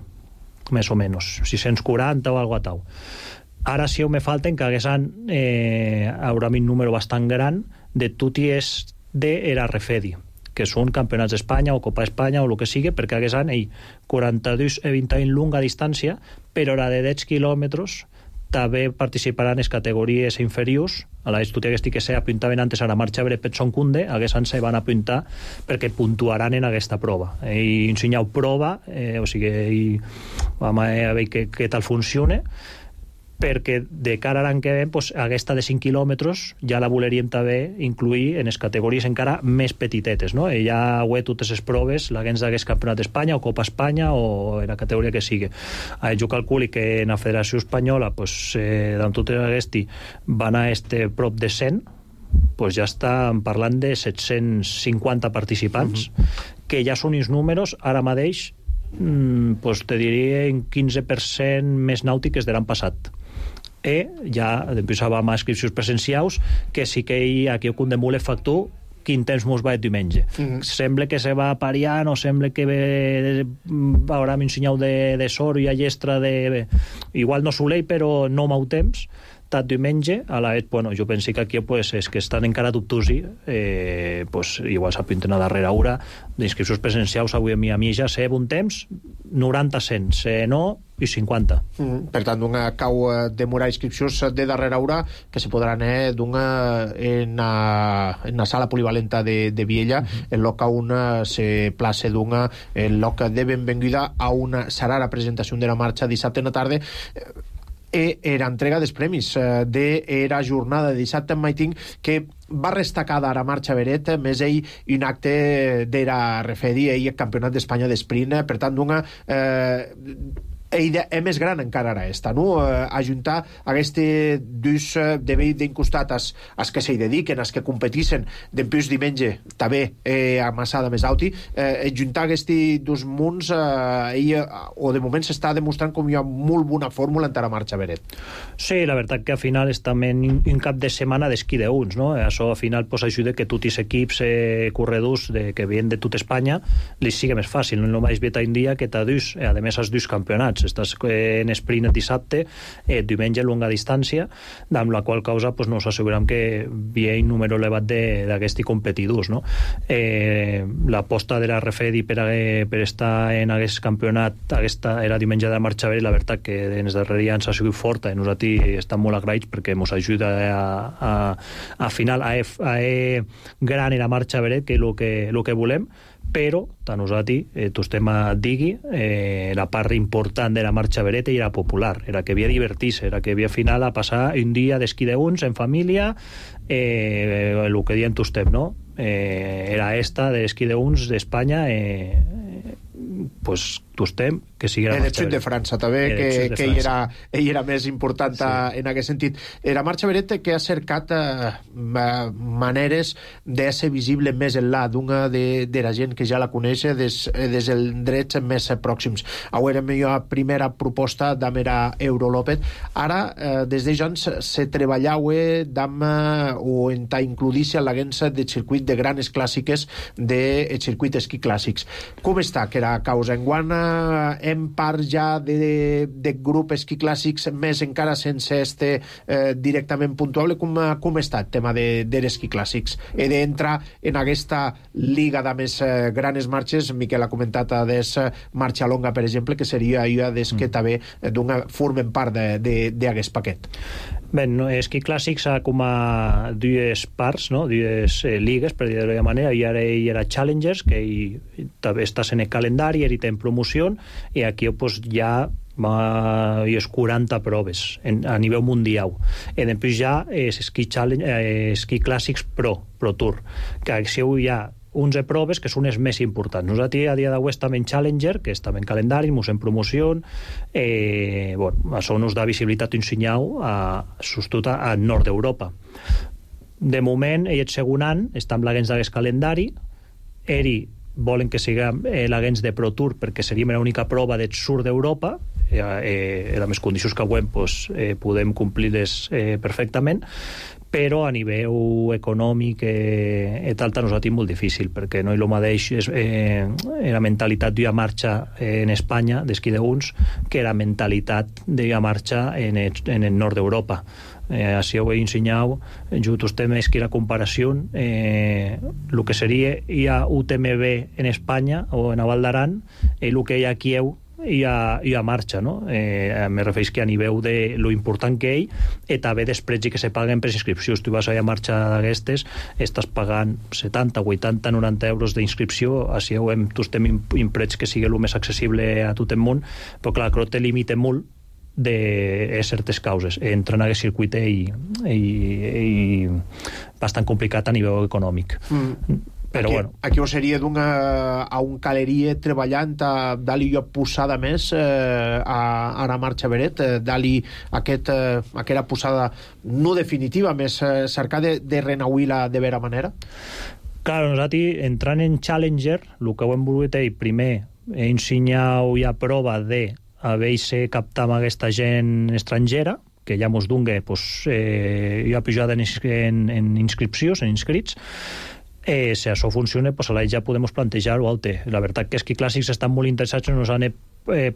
més o menys, 640 o alguna cosa. Ara sí me falten que haguessin haurà un número bastant gran de tuties de la Refedi, que són campionats d'Espanya o Copa Espanya o el que sigui, perquè haguessin 42 i 21 lunga distància, però la de 10 quilòmetres també participaran en les categories inferiors. A la estudia que se apuntaven antes a la marxa Beret Petson Kunde, haguessin se van apuntar perquè puntuaran en aquesta prova. I ensenyau prova, o sigui, vam a veure què tal funciona, perquè de cara a l'any que ve, pues, aquesta de 5 quilòmetres ja la voleríem també incluir en les categories encara més petitetes, no? I ja ho he totes les proves, la gens d'hagués Campionat d'Espanya o Copa Espanya o en la categoria que sigui. Jo calculi que en la Federació Espanyola, pues, d'on totes aquestes van a prop de 100, pues ja estan parlant de 750 participants, que ja són uns números, ara mateix, pues te diria en 15% més nàutiques de l'any passat. Ja després vam a inscripcions presencials, que sí que aquí ho condemule factor quin temps mos va el diumenge. Sembla que se va pariant o sembla que haurà ensenyat de sort i a llestra de... Igual no solell, però no mau temps. Tot diumenge, a la bueno, jo penso que aquí pues, és que estan encara dubtosi, pues, igual s'apunten a darrera hora d'inscripcions presencials. Avui a mi ja sé un temps 90-100, sé no i 50. Per tant, cau demorar inscripcions de darrera hora que se podran en la sala polivalenta de Viella, en loc on se place en loc de benvinguda a una serà la presentació de la marxa dissabte en la tarda. Era entrega dels premis d'era jornada de dissabte en Maiting, que va destacada a la marxa Beret, més ell un acte d'era refedi, ell el campionat d'Espanya d'esprint, per tant, ella és més gran encara ara no? Ajuntar aquestes dus de vell d'incostat als que s'hi dediquen, als que competeixen d'empús diumenge, també amassada més alti, ajuntar aquests dos munts, o de moment s'està demostrant com hi ha molt bona fórmula en la marxa Beret. Sí, la veritat que al final és també un cap de setmana d'esquí d'uns, no? Això al final pues, ajuda que tots els equips corredors que vienen de tot Espanya li sigui més fàcil, no només ve un dia que t'ha dus, a més els dos campionats. Estàs en sprint el dissabte, diumenge a longa distància, amb la qual causa pues, nos assegurem que hi ha un número elevat d'aquests competidors, no? L'aposta de la Refedi per estar en aquest campionat, aquesta era diumenge de la marxa Beret, la veritat que en els darrers anys ha sigut forta i nosaltres estem molt agraïts perquè ens ajuda a final a gran en la marxa Beret, que és el que volem. Però, tant nosaltres, tu estem a digui, la part important de la marxa Beret era popular, era que havia divertir-se, era que havia al final a passar un dia d'esquí d'uns en família, el que diem tu estem, no? Era esta d'esquí d'uns d'Espanya, pues tu estem, que sigui la marxa Beret. De França també, que ell era més important en aquest sentit. La marxa Beret que ha cercat maneres de ser visible més enllà d'una de la gent que ja la coneix des dels drets més pròxims. Avui era la primera proposta d'Amera Eurolopet. Ara, des de Jons, se treballava o en includir-se a l'agència de circuit de grans clàssiques de circuit esquí clàssics. Com està que era causa? Enguany hem part ja de grup esquí clàssics més encara sense directament puntuable. Com està el tema de l'esquí clàssics? He d'entrar en aquesta liga de més grans marxes. Miquel ha comentat des marxa longa, per exemple, que seria des que també formen part d'aquest paquet. Bé, esquí clàssics ha com a dues parts, no? Dues ligues, per dir-ho de manera. I ara hi era Challengers, que també estàs en el calendari, i en promoció, i aquí pues, ja hi ha 40 proves a nivell mundial. I després ja és esquí clàssics Pro Tour, que aquí hi ha 11 proves que són les més importants. Nosaltres a dia d'avui estem en Challenger, que estem en calendari, en promoció, això ens da visibilitat un senyal sobretot al nord d'Europa. De moment, el segon any, està amb l'agents d'aquest calendari, volen que siguem l'agents de Pro Tour perquè seríem l'única prova del sud d'Europa, amb les condicions que avui podem complir-les perfectament, però a nivell econòmic i tal, nosaltres és molt difícil, perquè no és el mateix la mentalitat d'una marxa en Espanya, d'esquí d'uns, que la mentalitat d'una marxa en el nord d'Europa. Així ho he ensenyat, just els temes que la comparació, el que seria hi ha UTMB en Espanya o en Val d'Aran, i el que hi ha aquí i a marxa, no? Me refereix que a nivell de lo important que ell, i també dels preus que se paguen per inscripcions. Tu vas a marxa d'aquestes, estàs pagant 70, 80, 90 euros d'inscripció, així tu estem imprets que sigui el més accessible a tot el món, però clar, crec que limita molt de certes causes. Entra en aquest circuit i bastant complicat a nivell econòmic. Però aquí, bueno. Aquí ho seria a un caleria treballant dali jo posada més a la marxa Beret, dali aquesta posada no definitiva, més cercar de renauir-la de vera manera? Claro, nosaltres entrant en Challenger, el que ho hem volgut primer ensenyar ja prova de haver-se captat amb aquesta gent estrangera, que ja mos donga ja pujada en inscripcions, en inscrits. Si això funciona, ara ja podem plantejar-ho altre. La veritat que és que clàssics estan molt interessats, ens han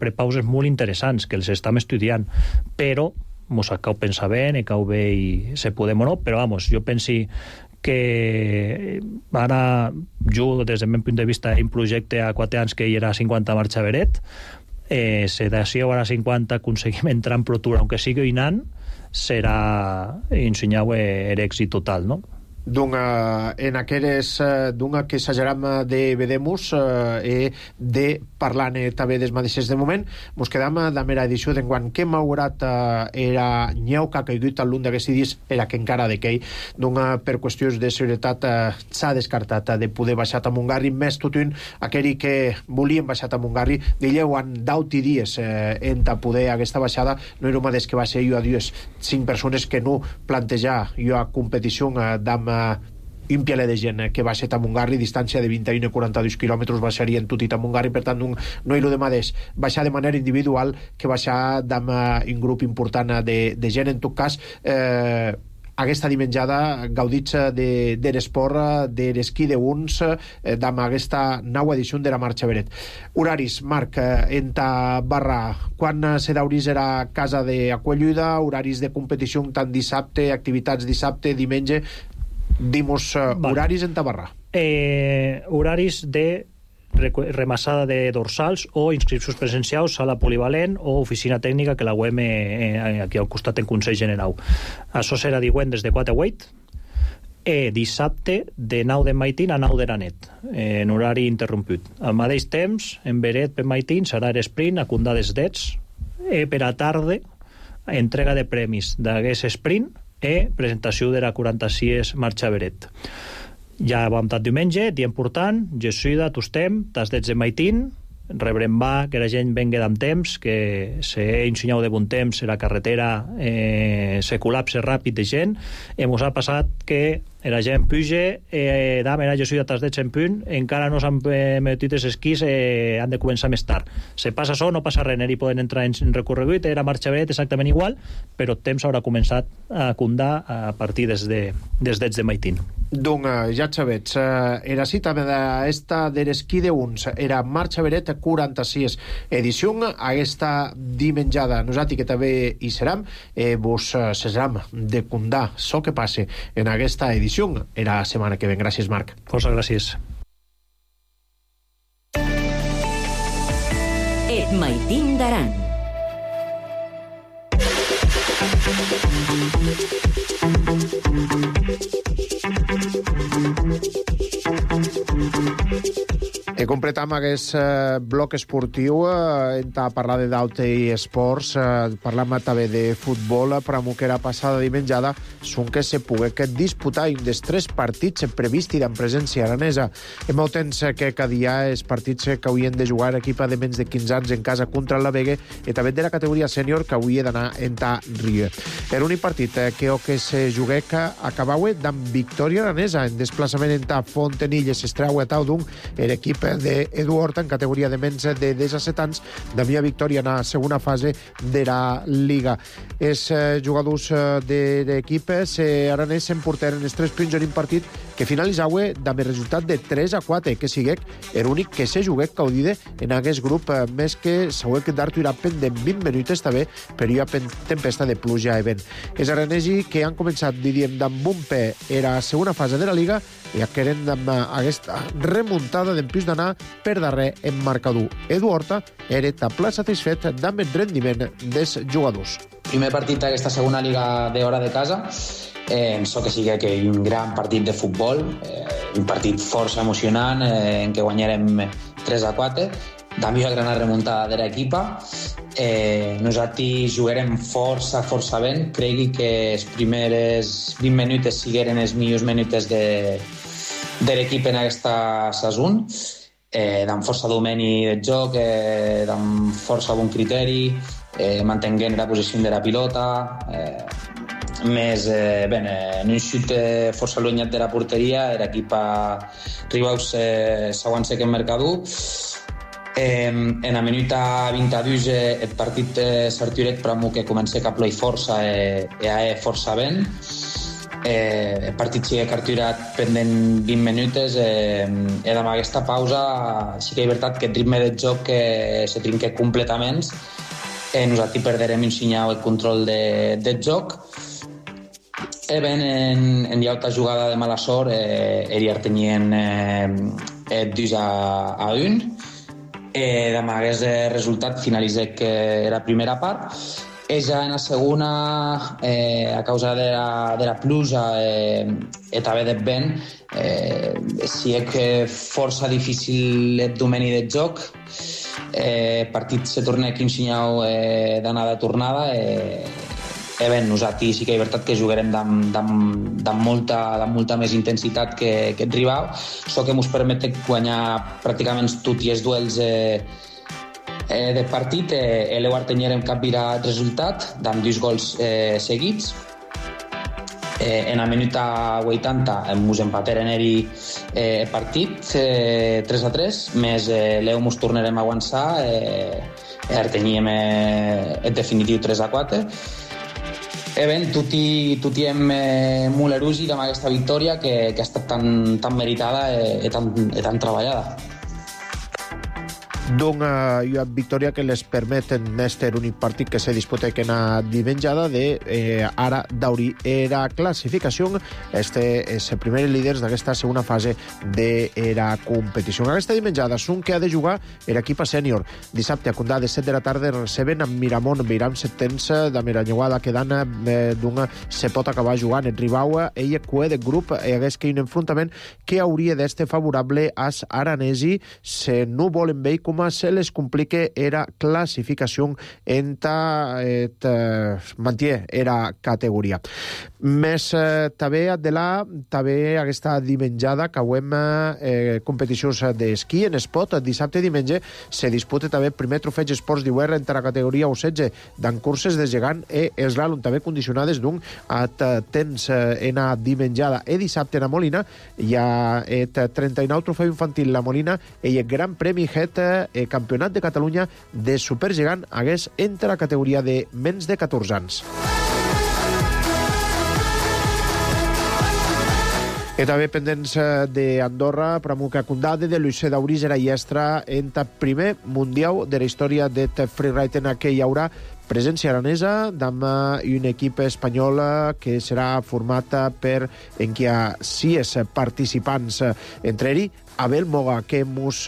prepauses molt interessants, que els estem estudiant, però mos cau pensar bé, cau bé i se podem o no, però vamos, jo penso que ara jo, des del meu punt de vista, un projecte a 4 anys que hi era 50 marxa Beret, si d'ací a 50 aconseguim entrar en Pro Tour, aunque sigui un any, serà ensenyar l'èxit total, no? En aquelles que s'ageram de vedemus de parlant també des mateixes de moment, mos quedam de mera edició d'enguant que malgrat era nyeu que ha caigut l'un d'aquests dies era que encara de quei, per qüestions de seguretat s'ha descartat de poder baixar a Montgarri, més tot un aquell que volien baixar a Montgarri d'elleu han 10 dies en poder aquesta baixada, no era un mateix que va ser jo a 5 persones que no plantejar jo a competició d'am un pialet de gent que va ser a Montgarri, distància de 21 a 42 quilòmetres baixarien tot i a Montgarri, per tant no hi de mateix baixar de manera individual que baixar amb un grup important de gent. En tot cas aquesta dimenjada gaudits de l'esport, de l'esquí d'uns, amb aquesta nova edició de la marxa Beret. Horaris, Marc, en ta barra, quan se daurís era casa d'acollida, horaris de competició tant dissabte, activitats dissabte, diumenge, dimos horaris en ta barra. Horaris de remassada de dorsals o inscripcions presencials a la polivalent o oficina tècnica que la UEM aquí al costat en Consell General. Això serà divendres de 4 a 8, dissabte de 9 de maitín a 9 de la nit, en horari interromput. Al mateix temps, en Beret per maitín serà l'esprint a Condades d'Ets, per a tarda entrega de premis d'aquest sprint presentació de la 46 marxa Beret. Ja vam estar diumenge, dia important, Jesuïda, tostem, tas d'ets de maitín, rebrem que la gent vengui amb temps, que s'ha ensenyat de bon temps, la carretera se col·lapse ràpid de gent, i ens ha passat que la gent puja, era Jesuïda tas d'ets en punt, encara no s'han metit els esquís, han de començar més tard. Se passa això, no passa res, hi poden entrar en recorregut, era marxa Beret exactament igual, però el temps haurà començat a condar a partir des d'ets de maitín. Donc, ja sabets, era cita d'esta de l'esquí d'uns, era marxa Beret 46 edició, aquesta dimenjada, nosaltres que també hi serem, vos cesarem de condar so que passe en aquesta edició, era la setmana que ven. Gràcies, Marc. Força gràcies. Et maitín d'Aran. Completam aquest bloc esportiu en parlar de d'Aute i esports, parlam també de futbol, però amb que era passada dimenjada són que se pogués disputar un dels 3 partits previsti en presència aranesa. Hem molt temps que cada dia els partits que haurien de jugar l'equip de menys de 15 anys en casa contra la Vega i també de la categoria sènior que hauria d'anar en ta Rio. Era un partit que se jugué que acabava amb victòria aranesa en desplaçament en ta Fontenilles, Estrau a Taudung, l'equip d'Edu Horta en categoria de menys de 17 anys, de mia victòria en la segona fase de la Liga. Els jugadors de l'equip aranès s'emportaren els 3 punts en un partit que finalitzaue amb el resultat de 3-4, que siguec l'únic que se juguec caudide en aquest grup, més que s'hauec d'Artur pendent 20 minutes també per una tempesta de pluja i vent. Els aranesi que han començat, diríem, amb un pè era la segona fase de la Liga i queden amb aquesta remuntada d'empús d'anar per darrer en marcador. Edu Horta era ple satisfet amb el rendiment dels jugadors. Primer partit d'aquesta segona Liga d'hora de casa, penso que sigui un gran partit de futbol, un partit força emocionant en què guanyarem 3-4, també una gran remuntada de l'equipa. Nosaltres jugarem força ben, cregui que les primeres 20 minutes sigueren els millors minutes de l'equip en aquesta saison, amb força domini del joc, amb força bon criteri, mantenint la posició de la pilota, més en un xut força allunyat de la porteria, l'equip Ribaus s'aguanta en mercador. En la minuta 22 el partit s'arturec per que comença a ploi força i força ben. El partit sigue carturat pendent 20 minutes i amb aquesta pausa sí que és veritat que el ritme del joc se trinca completament. Nosaltres perderem un senyal el control del joc. En llauta jugada de mala sort eriar tenien 2-1. Amb aquest resultat finalitza que era primera part. Ja en la segona, a causa de la pluja i també del vent, sí que força difícil el domini del joc. El partit se torna aquí un senyal d'anada-tornada. Nosaltres sí que és veritat que jugarem amb molta més intensitat que el rival, això que ens permet guanyar pràcticament tots els duels del partit. L'Euar teníem capgirat el resultat amb 2 gols seguits. En la minuta 80 ens empateren el partit 3-3, més l'Eu ens tornarem a avançar i ara teníem el definitiu 3-4. Tutti hem molt erugi amb aquesta victòria que ha estat tan meritada i tan treballada. Una victòria que les permet en este únic partit que se disputa en la dimenjada de ara d'aurir era classificació. Este és el primer líder d'aquesta segona fase de la competició. En aquesta dimenjada són que ha de jugar l'equip sènior. Dissabte a Condà de 7 de la tarda receben amb Miramont. Miram setens de Miranyuada quedant d'un se pot acabar jugant. El Ribau ell cue de grup i hagués que un enfrontament que hauria d'este favorable als aranesi se no volen veure com se les complique era classificació manté era categoria. Més també aquesta dimenjada que hem competicions d'esquí en esport. Dissabte i diumenge se disputa també el primer trofeig esports d'IUR entre la categoria U16 d'en curses de gegant i eslalom també condicionades d'un temps en la dimenjada. I dissabte en la Molina hi ha el 39 trofeu infantil la Molina i el Gran Premi Het Campionat de Catalunya de supergegant hagués entre la categoria de menys de 14 anys. I també pendents d'Andorra, Pramuca Condade, de Luis Daurís era Iestra en el primer mundial de la història de freeride en què hi haurà presència aranesa amb un equip espanyol que serà format per en què hi ha 6 participants, entre ells Abel Moga, que mos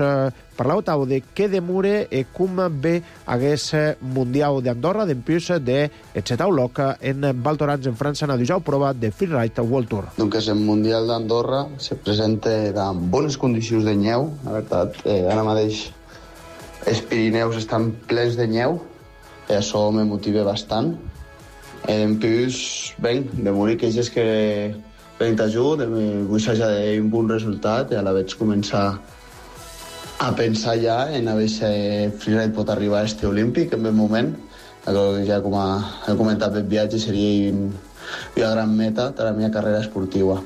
parlàveu de què demure i com ve aquest Mundial d'Andorra d'empús de Etxetau Loc en Val Thorens, en França, en la prova de Freeride World Tour. El Mundial d'Andorra se presenta amb bones condicions de neu. La veritat, ara mateix els Pirineus estan plens de neu i això me motiva bastant. Empús, demure que és que ben t'ajut, vull ja un bon resultat i a la veig començar a pensar ja en a veure si freeride pot arribar a este olímpic en ben moment. Ja com he comentat el viatge seria una gran meta de la meva carrera esportiva.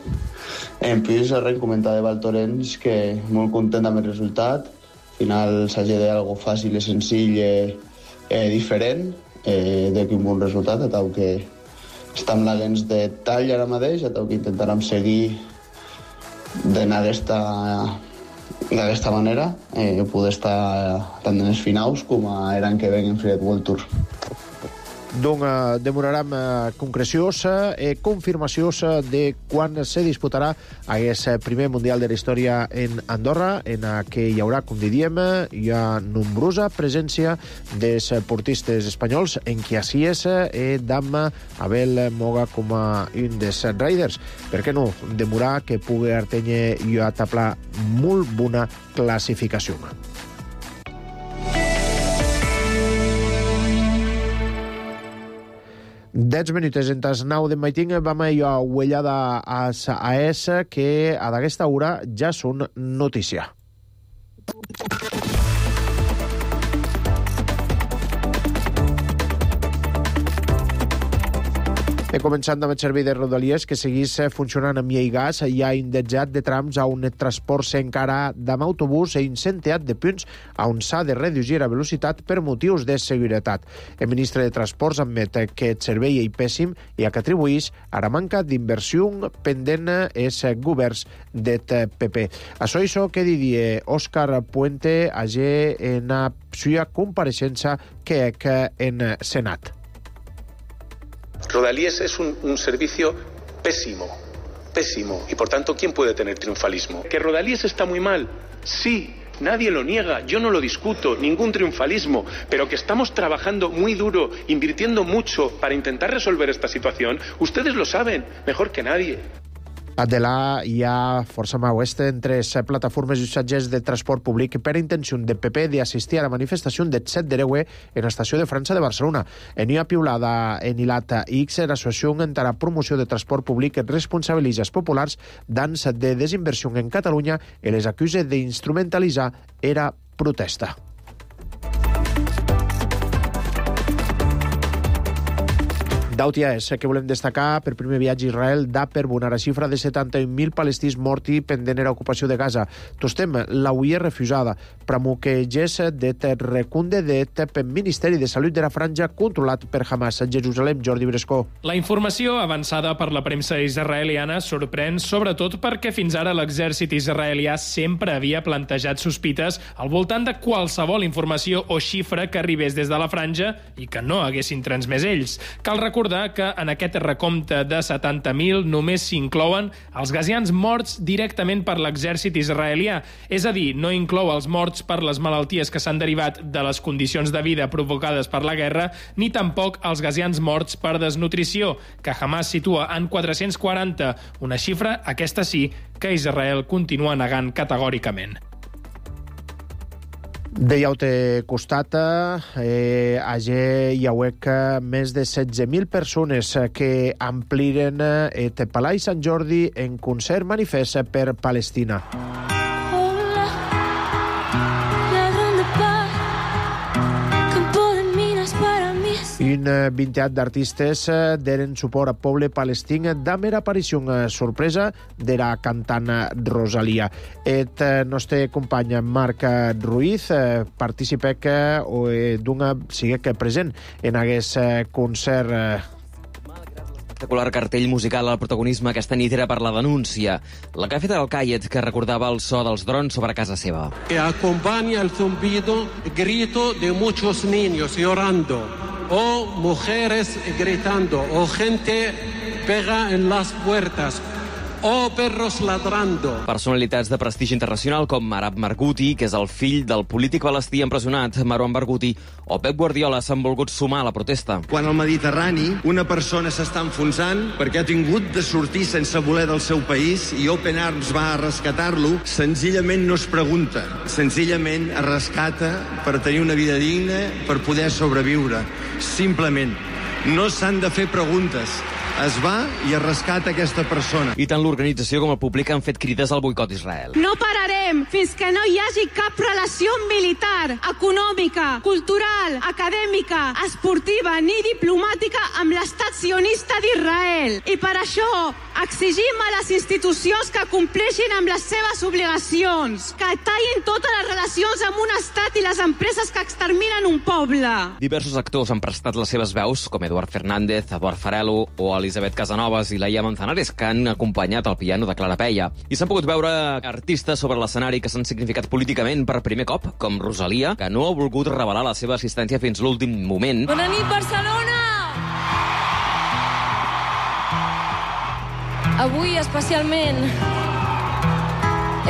En plus, comentar de Val Thorens que molt content amb el resultat. Al final s'hagi de algo fàcil i senzill i diferent d'aquí un bon resultat, atau que estem laguens de tall ara mateix, atau que intentarem seguir d'anar d'aquesta manera, poder estar tant en els finals com a l'any que ve en Freeride World Tour. Donc, demorarem concrecions i confirmacions de quan se disputarà aquest primer Mundial de la Història en Andorra, en què hi haurà, com diríem, hi ha nombrosa presència dels portistes espanyols, en qui així és d'am Abel Moga com a un dels riders. Per què no demorar que pugui artenyer i ataplar molt bona classificació. 10 minuts entas 9 de maitín vam a huellada a esa que a d'aquesta hora ja són notícia. He començat amb el servei de Rodalies, que seguís funcionant amb gas. Hi ha indexat de trams a un transport encara d'am autobús i incendiat de punts on s'ha de reduir la velocitat per motius de seguretat. El ministre de Transports admet que el servei és pèssim i que atribuís a la manca d'inversió pendent els governs del PP. Això que diria Òscar Puente ayer en la seva compareixença que en Senat. Rodalies es un servicio pésimo, y por tanto, ¿quién puede tener triunfalismo? ¿Que Rodalies está muy mal? Sí, nadie lo niega, yo no lo discuto, ningún triunfalismo, pero que estamos trabajando muy duro, invirtiendo mucho para intentar resolver esta situación, ustedes lo saben, mejor que nadie. A Delà hi ha força oest entre les plataformes i usatgers de transport públic per intenció de PP d'assistir a la manifestació del 7 d'Ereue en l'estació de França de Barcelona. En una piulada en Ilata X, l'associació entrarà promoció de transport públic responsabilitza els populars d'ans de desinversió en Catalunya i les acusa d'instrumentalitzar era protesta. D'Autia és que volem destacar per primer viatge a Israel da per bonar la xifra de 71.000 palestins morti pendent era ocupació de Gaza. Tostem l'auia refusada. Pramuquegés det recunde det per Ministeri de Salut de la Franja controlat per Hamas. Jerusalem, Jordi Brescó. La informació avançada per la premsa israeliana sorprèn sobretot perquè fins ara l'exèrcit israelià sempre havia plantejat sospites al voltant de qualsevol informació o xifra que arribés des de la Franja i que no haguessin transmès ells. Cal recordar que en aquest recompte de 70.000 només s'inclouen els gazians morts directament per l'exèrcit israelià, és a dir, no inclou els morts per les malalties que s'han derivat de les condicions de vida provocades per la guerra, ni tampoc els gazians morts per desnutrició, que Hamas situa en 440, una xifra, aquesta sí, que Israel continua negant categòricament. D'Iaute costata, ayer hi hauec més de 16.000 persones que ampliren el Palai Sant Jordi en concert manifest per Palestina. Un vinteat d'artistes deren suport al poble palestí damb era aparició sorpresa de la cantant Rosalia. El nostre company Marc Ruiz participec siguec present en aquest concert. Espectacular cartell musical al protagonisme aquesta nit era per la denúncia. La que ha fet el Cayet, que recordava el so dels drons sobre casa seva. Que acompaña el zumbido, grito de muchos niños llorando, o mujeres gritando, o gente pega en las puertas, o perros ladrando. Personalitats de prestigi internacional com Arab Margouti, que és el fill del polític palestí empresonat Marwan Barghouti, o Pep Guardiola s'han volgut sumar a la protesta. Quan al Mediterrani una persona s'està enfonsant perquè ha tingut de sortir sense voler del seu país i Open Arms va a rescatar-lo, senzillament no es pregunta, senzillament es rescata per tenir una vida digna, per poder sobreviure. Simplement, no s'han de fer preguntes. Es va i es rescata aquesta persona. I tant l'organització com el públic han fet crides al boicot a Israel. No pararem fins que no hi hagi cap relació militar, econòmica, cultural, acadèmica, esportiva ni diplomàtica amb l'estat sionista d'Israel. I per això Exigim a les institucions que compleixin amb les seves obligacions, que tallin totes les relacions amb un estat i les empreses que exterminen un poble. Diversos actors han prestat les seves veus, com Eduard Fernández, Eduard Farelo o Elisabet Casanovas i Laia Manzanares, que han acompanyat el piano de Clara Peia. I s'han pogut veure artistes sobre l'escenari que s'han significat políticament per primer cop, com Rosalia, que no ha volgut revelar la seva assistència fins l'últim moment. Bona nit, Barcelona! Avui, especialment,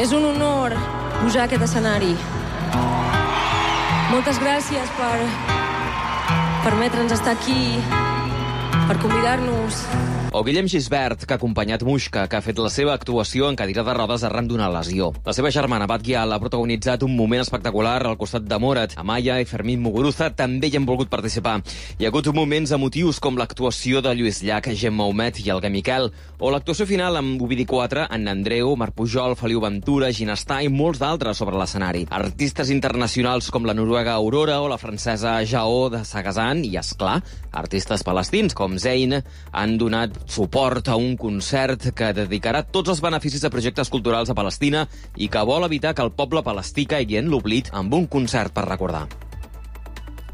és un honor pujar a aquest escenari. Moltes gràcies per permetre'ns estar aquí, per convidar-nos. O Guillem Gisbert, que ha acompanyat Muixca, que ha fet la seva actuació en cadira de rodes arran d'una lesió. La seva germana, Bat Gial, ha protagonitzat un moment espectacular al costat de Morat. Amaya i Fermín Muguruza també hi han volgut participar. Hi ha hagut moments emotius com l'actuació de Lluís Llach, Gemma Humet i Alguer Miquel, o l'actuació final amb Ovidi 4, Anna Andreu, Marc Pujol, Feliu Ventura, Ginestà i molts d'altres sobre l'escenari. Artistes internacionals com la noruega Aurora o la francesa Jaó de Sagazan i, esclar, artistes palestins com Zeyn han donat suport a un concert que dedicarà tots els beneficis de projectes culturals a Palestina i que vol evitar que el poble palestí caigui en l'oblit amb un concert per recordar.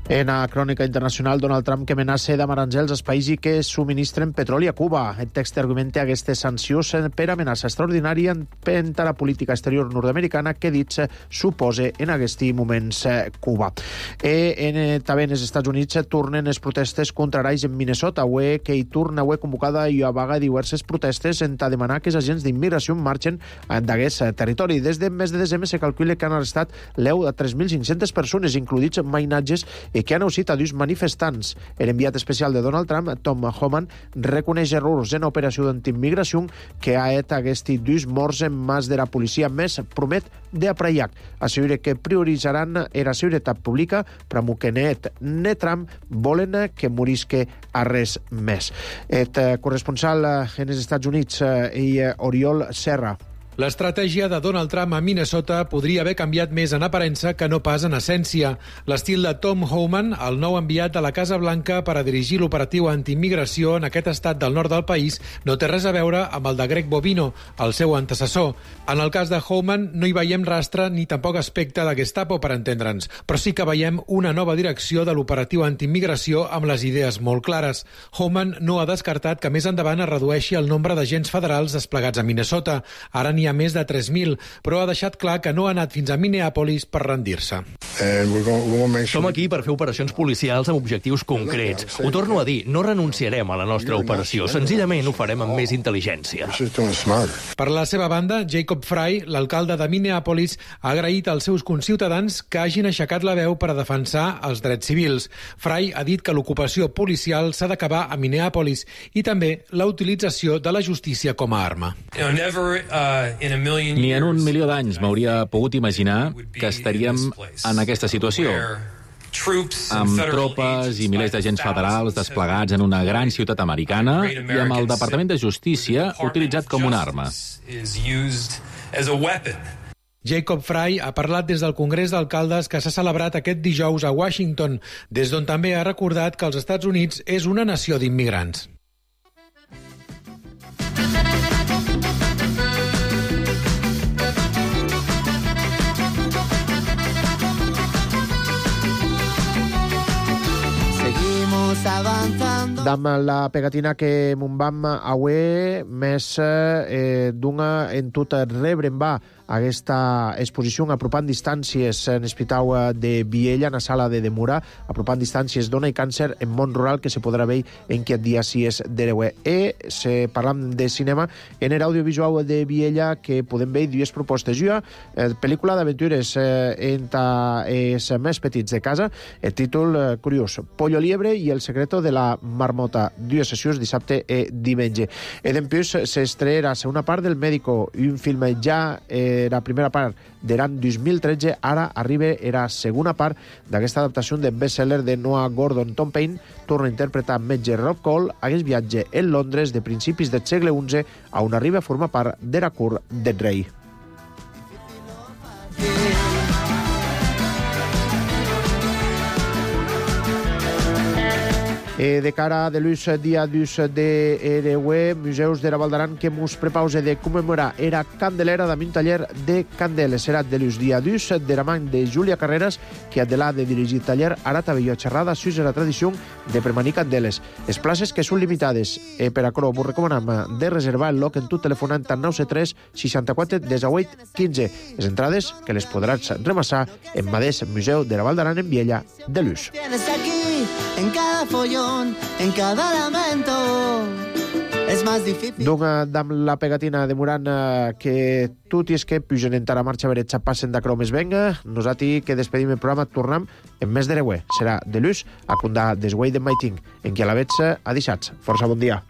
En la crònica internacional, Donald Trump que amenaça d'amaranjar els països que subministren petroli a Cuba. El text argumenta aquestes sancions per amenaça extraordinària per la política exterior nord-americana que dits suposa en aquests moments Cuba. També en els Estats Units tornen les protestes contra Arais en Minnesota, que hi torna convocada i a vaga diverses protestes en demanar que els agents d'immigració marxen d'aquest territori. Des del mes de desembre se calcula que han arrestat l'eu de 3.500 persones, includits mainatges que han aussit a dos manifestants. L'enviat especial de Donald Trump, Tom Homan, reconeix errors en operació d'antiimmigració que ha et aquests dos morts en mans de la policia, més promet d'apraiac. Assegura que prioritzaran la seguretat pública, però que ne Trump volen que morisque a res més. El corresponsal en els Estats Units, Oriol Serra. L'estratègia de Donald Trump a Minnesota podria haver canviat més en aparença que no pas en essència. L'estil de Tom Homan, el nou enviat de la Casa Blanca per a dirigir l'operatiu antiimmigració en aquest estat del nord del país, no té res a veure amb el de Greg Bovino, el seu antecessor. En el cas de Homan no hi veiem rastre ni tampoc aspecte de Gestapo, per entendre'ns, però sí que veiem una nova direcció de l'operatiu antiimmigració amb les idees molt clares. Homan no ha descartat que més endavant es redueixi el nombre d'agents federals desplegats a Minnesota. Ara n'hi ha més de 3.000, però ha deixat clar que no ha anat fins a Minneapolis per rendir-se. Som aquí per fer operacions policials amb objectius concrets. Ho torno a dir, no renunciarem a la nostra operació, senzillament ho farem amb més intel·ligència. Per la seva banda, Jacob Frey, l'alcalde de Minneapolis, ha agraït als seus conciutadans que hagin aixecat la veu per a defensar els drets civils. Frey ha dit que l'ocupació policial s'ha d'acabar a Minneapolis i també la utilització de la justícia com a arma. Ni en 1.000.000 d'anys m'hauria pogut imaginar que estaríem en aquesta situació, amb tropes i milers d'agents federals desplegats en una gran ciutat americana i amb el Departament de Justícia utilitzat com una arma. Jacob Frey ha parlat des del Congrés d'Alcaldes que s'ha celebrat aquest dijous a Washington, des d'on també ha recordat que els Estats Units és una nació d'immigrants. Dam la pegatina que mon vam aué més d'una en tot rebre en va aquesta exposició apropant distàncies en l'Hospital de Viella, en la sala de Demura, apropant distàncies dona i càncer en món rural que se podrà veure en aquest dia 6 d'hereu. Se parlam de cinema en l'audiovisual de Viella que podem veure dues propostes. Una pel·lícula d'aventures entre els més petits de casa, el títol curiós, Pollo Liebre i el secreto de la marmota, dues sessions dissabte i diumenge. I després s'estrearà la segona part del Médico, un film ja la primera part d'Eran 2013, ara arriba la segona part d'aquesta adaptació de best-seller de Noah Gordon. Tom Paine torna a interpretar metge Rob Cole a aquest viatge en Londres de principis del segle XI a on arriba a formar part de la cort del rei. De cara de l'ús dia d'ús d'Ereue, Museus de la Val d'Aran que mos prepause de commemorar era Candelera d'un taller de candeles. Serà de l'ús dia d'ús de la man de Júlia Carreras, que de la de dirigir taller ara tabelló xerrada sus la tradició de premanir candeles. Les places que són limitades. Per acrò, vos recomanem de reservar el loc en tu telefonant al 973 64 18 15. Les entrades que les podràs remassar en Madés Museu de la Val d'Aran en Viella de l'ús. En cada follón, en cada lamento, és més difícil. Donc, amb la pegatina demorant que tot i és que pugen entrar a marxa veretxa passen d'acrò més venga, nosaltres que despedim el programa tornem en mes d'Ereue. Serà de l'ús a condar desguai de Maiting, en qui a la vetza a dissats. Força bon dia.